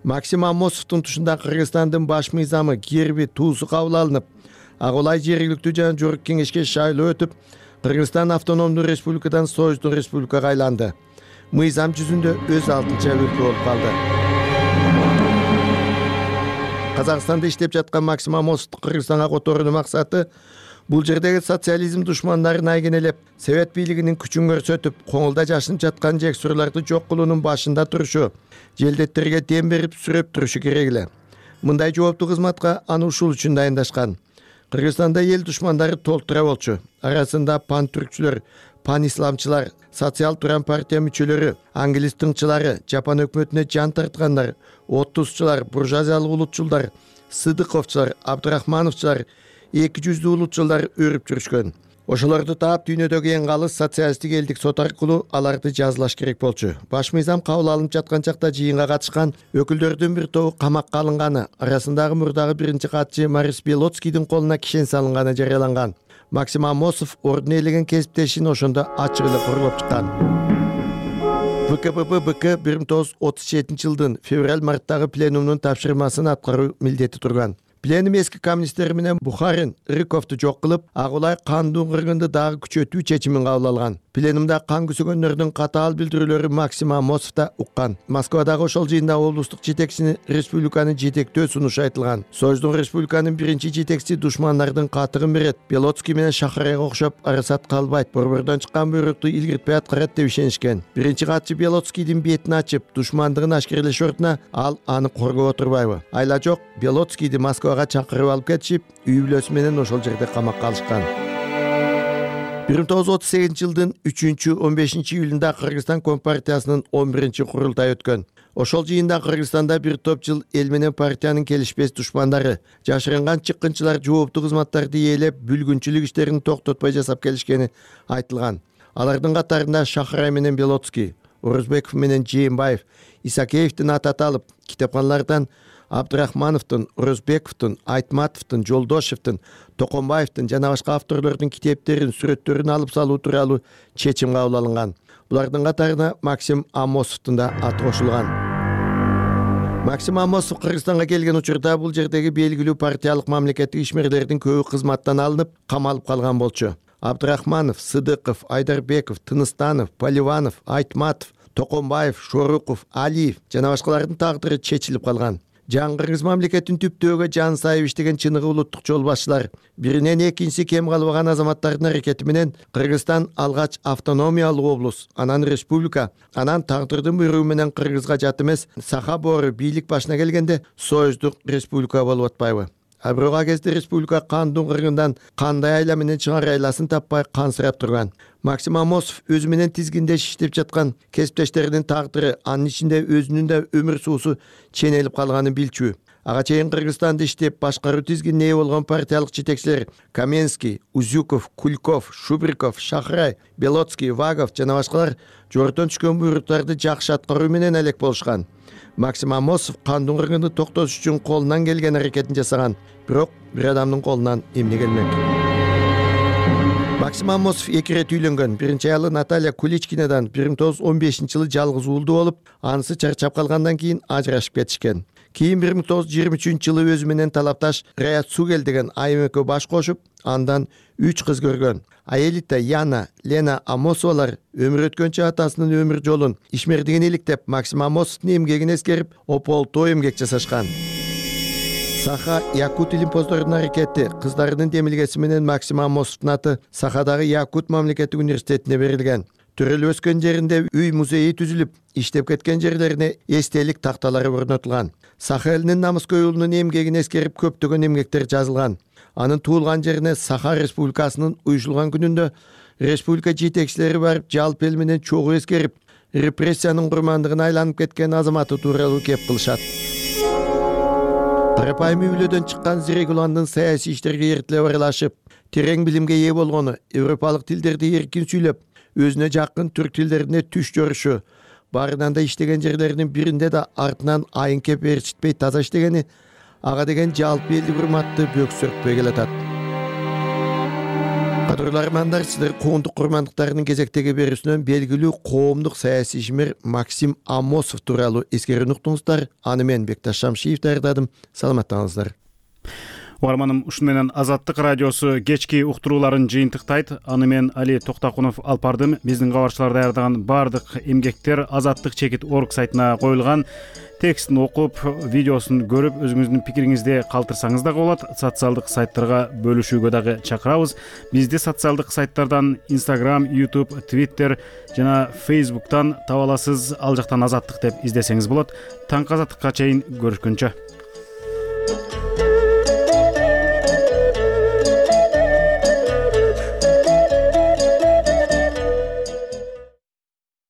Speaker 18: Максим Амосовдун тушунда Кыргызстандын баш мыйзамы, герби, туусу кабыл алынып, Агулай жергиликтүү жана жогорку кеңешке шайлоо өтүп, Кыргызстан автономдуу республикадан Союздук республикага айланды. Мыйзам жүзүндө өз алтынча өлкө болуп калды. Казакстанда иштеп жаткан Максим Амосовду Кыргызстанга которуунун максаты бул жердеги социализм душмандарын айгенелеп, Совет бийлигинин күчүн көрсөтүп, коңулда жашынып жаткан жексурларды жок кылуунун башында турушу, желдеттерге дем берип сүрөп турушу керек эле. Мындай жооптуу кызматка аны ушул үчүн дайындашкан. Кыргызстанда эл душмандары толтура болчу. Арасында пан-түркчүлөр, пан-исламчылар, социал туран партия мүчөлөрү, англис тыңчылары, Жапон өкмөтүнө жан тарткандар, оттузчулар, буржуазиялык улутчулдар, Сыдыковчулар, Абдрахмановчулар, эки жүздүү улутчулдар өрүп жүрүшкөн. Ошолорду таап дүйнөдөгү эң калыс социалисттик элдик сот аркылуу аларды жазалаш керек болчу. Баш мыйзам кабыл алынып жаткан чакта жыйынга катышкан өкүлдөрдүн бир тобу камакка алынганы, арасындагы мурдагы биринчи катчы Марис Белоцкийдин колуна кишен салынганы жарыяланган. Максим Амосов ордун ээлеген кесиптешин ошондо ачык эле коргоп чыккан. ВКПБ-БК 1937-жылдын февраль-марттагы пленумунун тапшырмасын аткаруу милдети турган. Пленум эски коммунисттер менен Бухарин, Рыковду жок кылып, Агулай кандуу кыргынды дагы күчөтүү чечимин кабыл алган. Пленумда кан күсөгөндөрдүн катаал билдирүүлөрү Максим Амосов да уккан. Москвадагы ошол жыйында облустук жетекчини республиканы жетектөө сунушу айтылган. Союздук республиканын биринчи жетекчиси душмандардын катыгын берет. Белоцкий менен Шахарайга окшоп арасат калбайт, борбордон чыккан буйрукту илгиртпей аткарат деп ишенишкен. Биринчи катчы Белоцкийдин бетин ачып, душмандыгын ашкерелеш ордуна ал аны коргоп отурбайбы? Айла жок, Белоцкийди Москвага чакырып алып кетишип, үй бүлөсү менен ошол жерде камакка алышкан. 1938-жылдын 3-15 июлунда Кыргызстан Компартиясынын 11-чи курултайы өткөн. Ошол жыйында Кыргызстанда бир топ жыл эл менен партиянын келишпес душмандары, жашырынган чыккынчылар жооптуу кызматтарды ээлеп, бүлгүнчүлүк иштерин токтотпой жасап келишкени айтылган. Алардын катарында Шахрай менен Белоцкий, Орузбеков менен Жээнбаев, Исакеевдин аты аталып, китепканалардан Абдрахмановдун, Орузбековдун, Айтматовдун, Жолдошевдун, Токонбаевдин жана башка авторлордун китептерин, сүрөттөрүн алып салуу тууралуу чечим кабыл алынган. Булардын катарына Максим Амосовдун да аты кошулган. Максим Амосов Кыргызстанга келген учурда бул жердеги белгилүү партиялык мамлекеттик ишмерлердин көбү кызматтан алынып, камалып калган болчу. Абдрахманов, Сыдыков, Айдарбеков, Тыныстанов, Поливанов, Айтматов, Токонбаев, Шоруков, Алиев жана башкалардын тагдыры чечилип калган. Жаңы Кыргыз мамлекетин түптөөгө жан сайып иштеген чыныгы улуттук жол башчылар, биринен экинчиси кем калбаган азаматтардын аракети менен Кыргызстан алгач автономиялык облус, анан республика, анан тагдырдын буйругу менен Кыргызга жат эмес Саха боору бийлик башына келгенде Союздук республика болуп атпайбы? А бирок ал кезде республика кандуу кыргындан кандай айла менен чыгар айласын таппай кансырап турган. Максим Амосов өзү менен тизгиндеш иштеп жаткан кесиптештеринин тагдыры, анын ичинде өзүнүн да өмүр суусу ченелип калганын билчү. Ага чейин Кыргызстанда иштеп башкаруу тизгинине ээ болгон партиялык жетекчилер Каменский, Узюков, Кульков, Шубриков, Шахрай, Белоцкий, Вагов жана башкалар жогорудон түшкөн буйруктарды жакшы аткаруу менен элек болушкан. Максим Амосов кандуу кыргынды токтотуш үчүн колунан келген аракетин жасаган, бирок бир адамдын колунан эмне келмек. Максим Амосов эки ирет үйлөнгөн. Биринчи аялы Наталья Куличкинадан 1915-жылы жалгыз уулду болуп, анысы чарчап калгандан кийин ажырашып кетишкен. Кийин 1923-жылы өзү менен талапташ Раят Сугел деген айым экөө баш кошуп, андан 3 кыз көргөн. Аэлита, Яна, Лена Амосовалар өмүр өткөнчө атасынын өмүр жолун ишмердигин иликтеп, Максим Амосовдун эмгегин эскерип, ополтоо эмгек жасашкан. Саха Якут илимпоздорунун аракети кыздарынын демилгеси менен Максим Амосовдун аты Сахадагы Якут мамлекеттик университетине берилген. Төрөлүп өскөн жеринде үй музейи түзүлүп, иштеп кеткен жерлерине эстелик такталары орнотулган. Саха элинин намыскөй уулунун эмгегин эскерип көптөгөн эмгектер жазылган. Анын туулган жерине Саха республикасынын уюшулган күнүндө республика жетекчилери барып, жалпы эл менен чогуу эскерип, репрессиянын курмандыгына айланып кеткен азаматы тууралуу кеп кылышат. Тарапайым үй-бүлөдөн чыккан Зирек Уландын саясий иштерге эртилеп аралашып, терең билимге ээ болгону, европалык тилдерди эркин сүйлөп, өзүнө жакын түрк тилдерине түш жорушу, баарынан да иштеген жерлеринин биринде да артынан айын кеп ээрчитпей таза иштегени ага деген жалпы элдик урматты бөксөртпөй келатат. Кадырлуу армандар, сиздер куугунтук курмандыктарынын кезектеги берүүсүнөн белгилүү коомдук саясий ишмер Максим Амосов тууралуу эскерүүнү уктуңуздар. Аны мен Бекташ Шамшиев даярдадым. Саламаттаңыздар.
Speaker 1: Угарманым, ушуну менен Азаттык радиосу кечки уктурууларын жыйынтыктайт. Аны мен Али Токтакунов алып бардым. Биздин кабарчылар даярдаган баардык эмгектер Азаттык.org сайтына коюлган. Текстин окуп, видеосун көрүп, өзүңүздүн пикириңизди калтырсаңыз дагы болот. Социалдык сайттарга бөлүшүүгө дагы чакырабыз. Бизди социалдык сайттардан Instagram, YouTube, Twitter жана Facebook'тан таба аласыз. Ал жактан Азаттык деп издесеңиз болот. Таңкы Азаттыкка чейин көрүшкөнчө.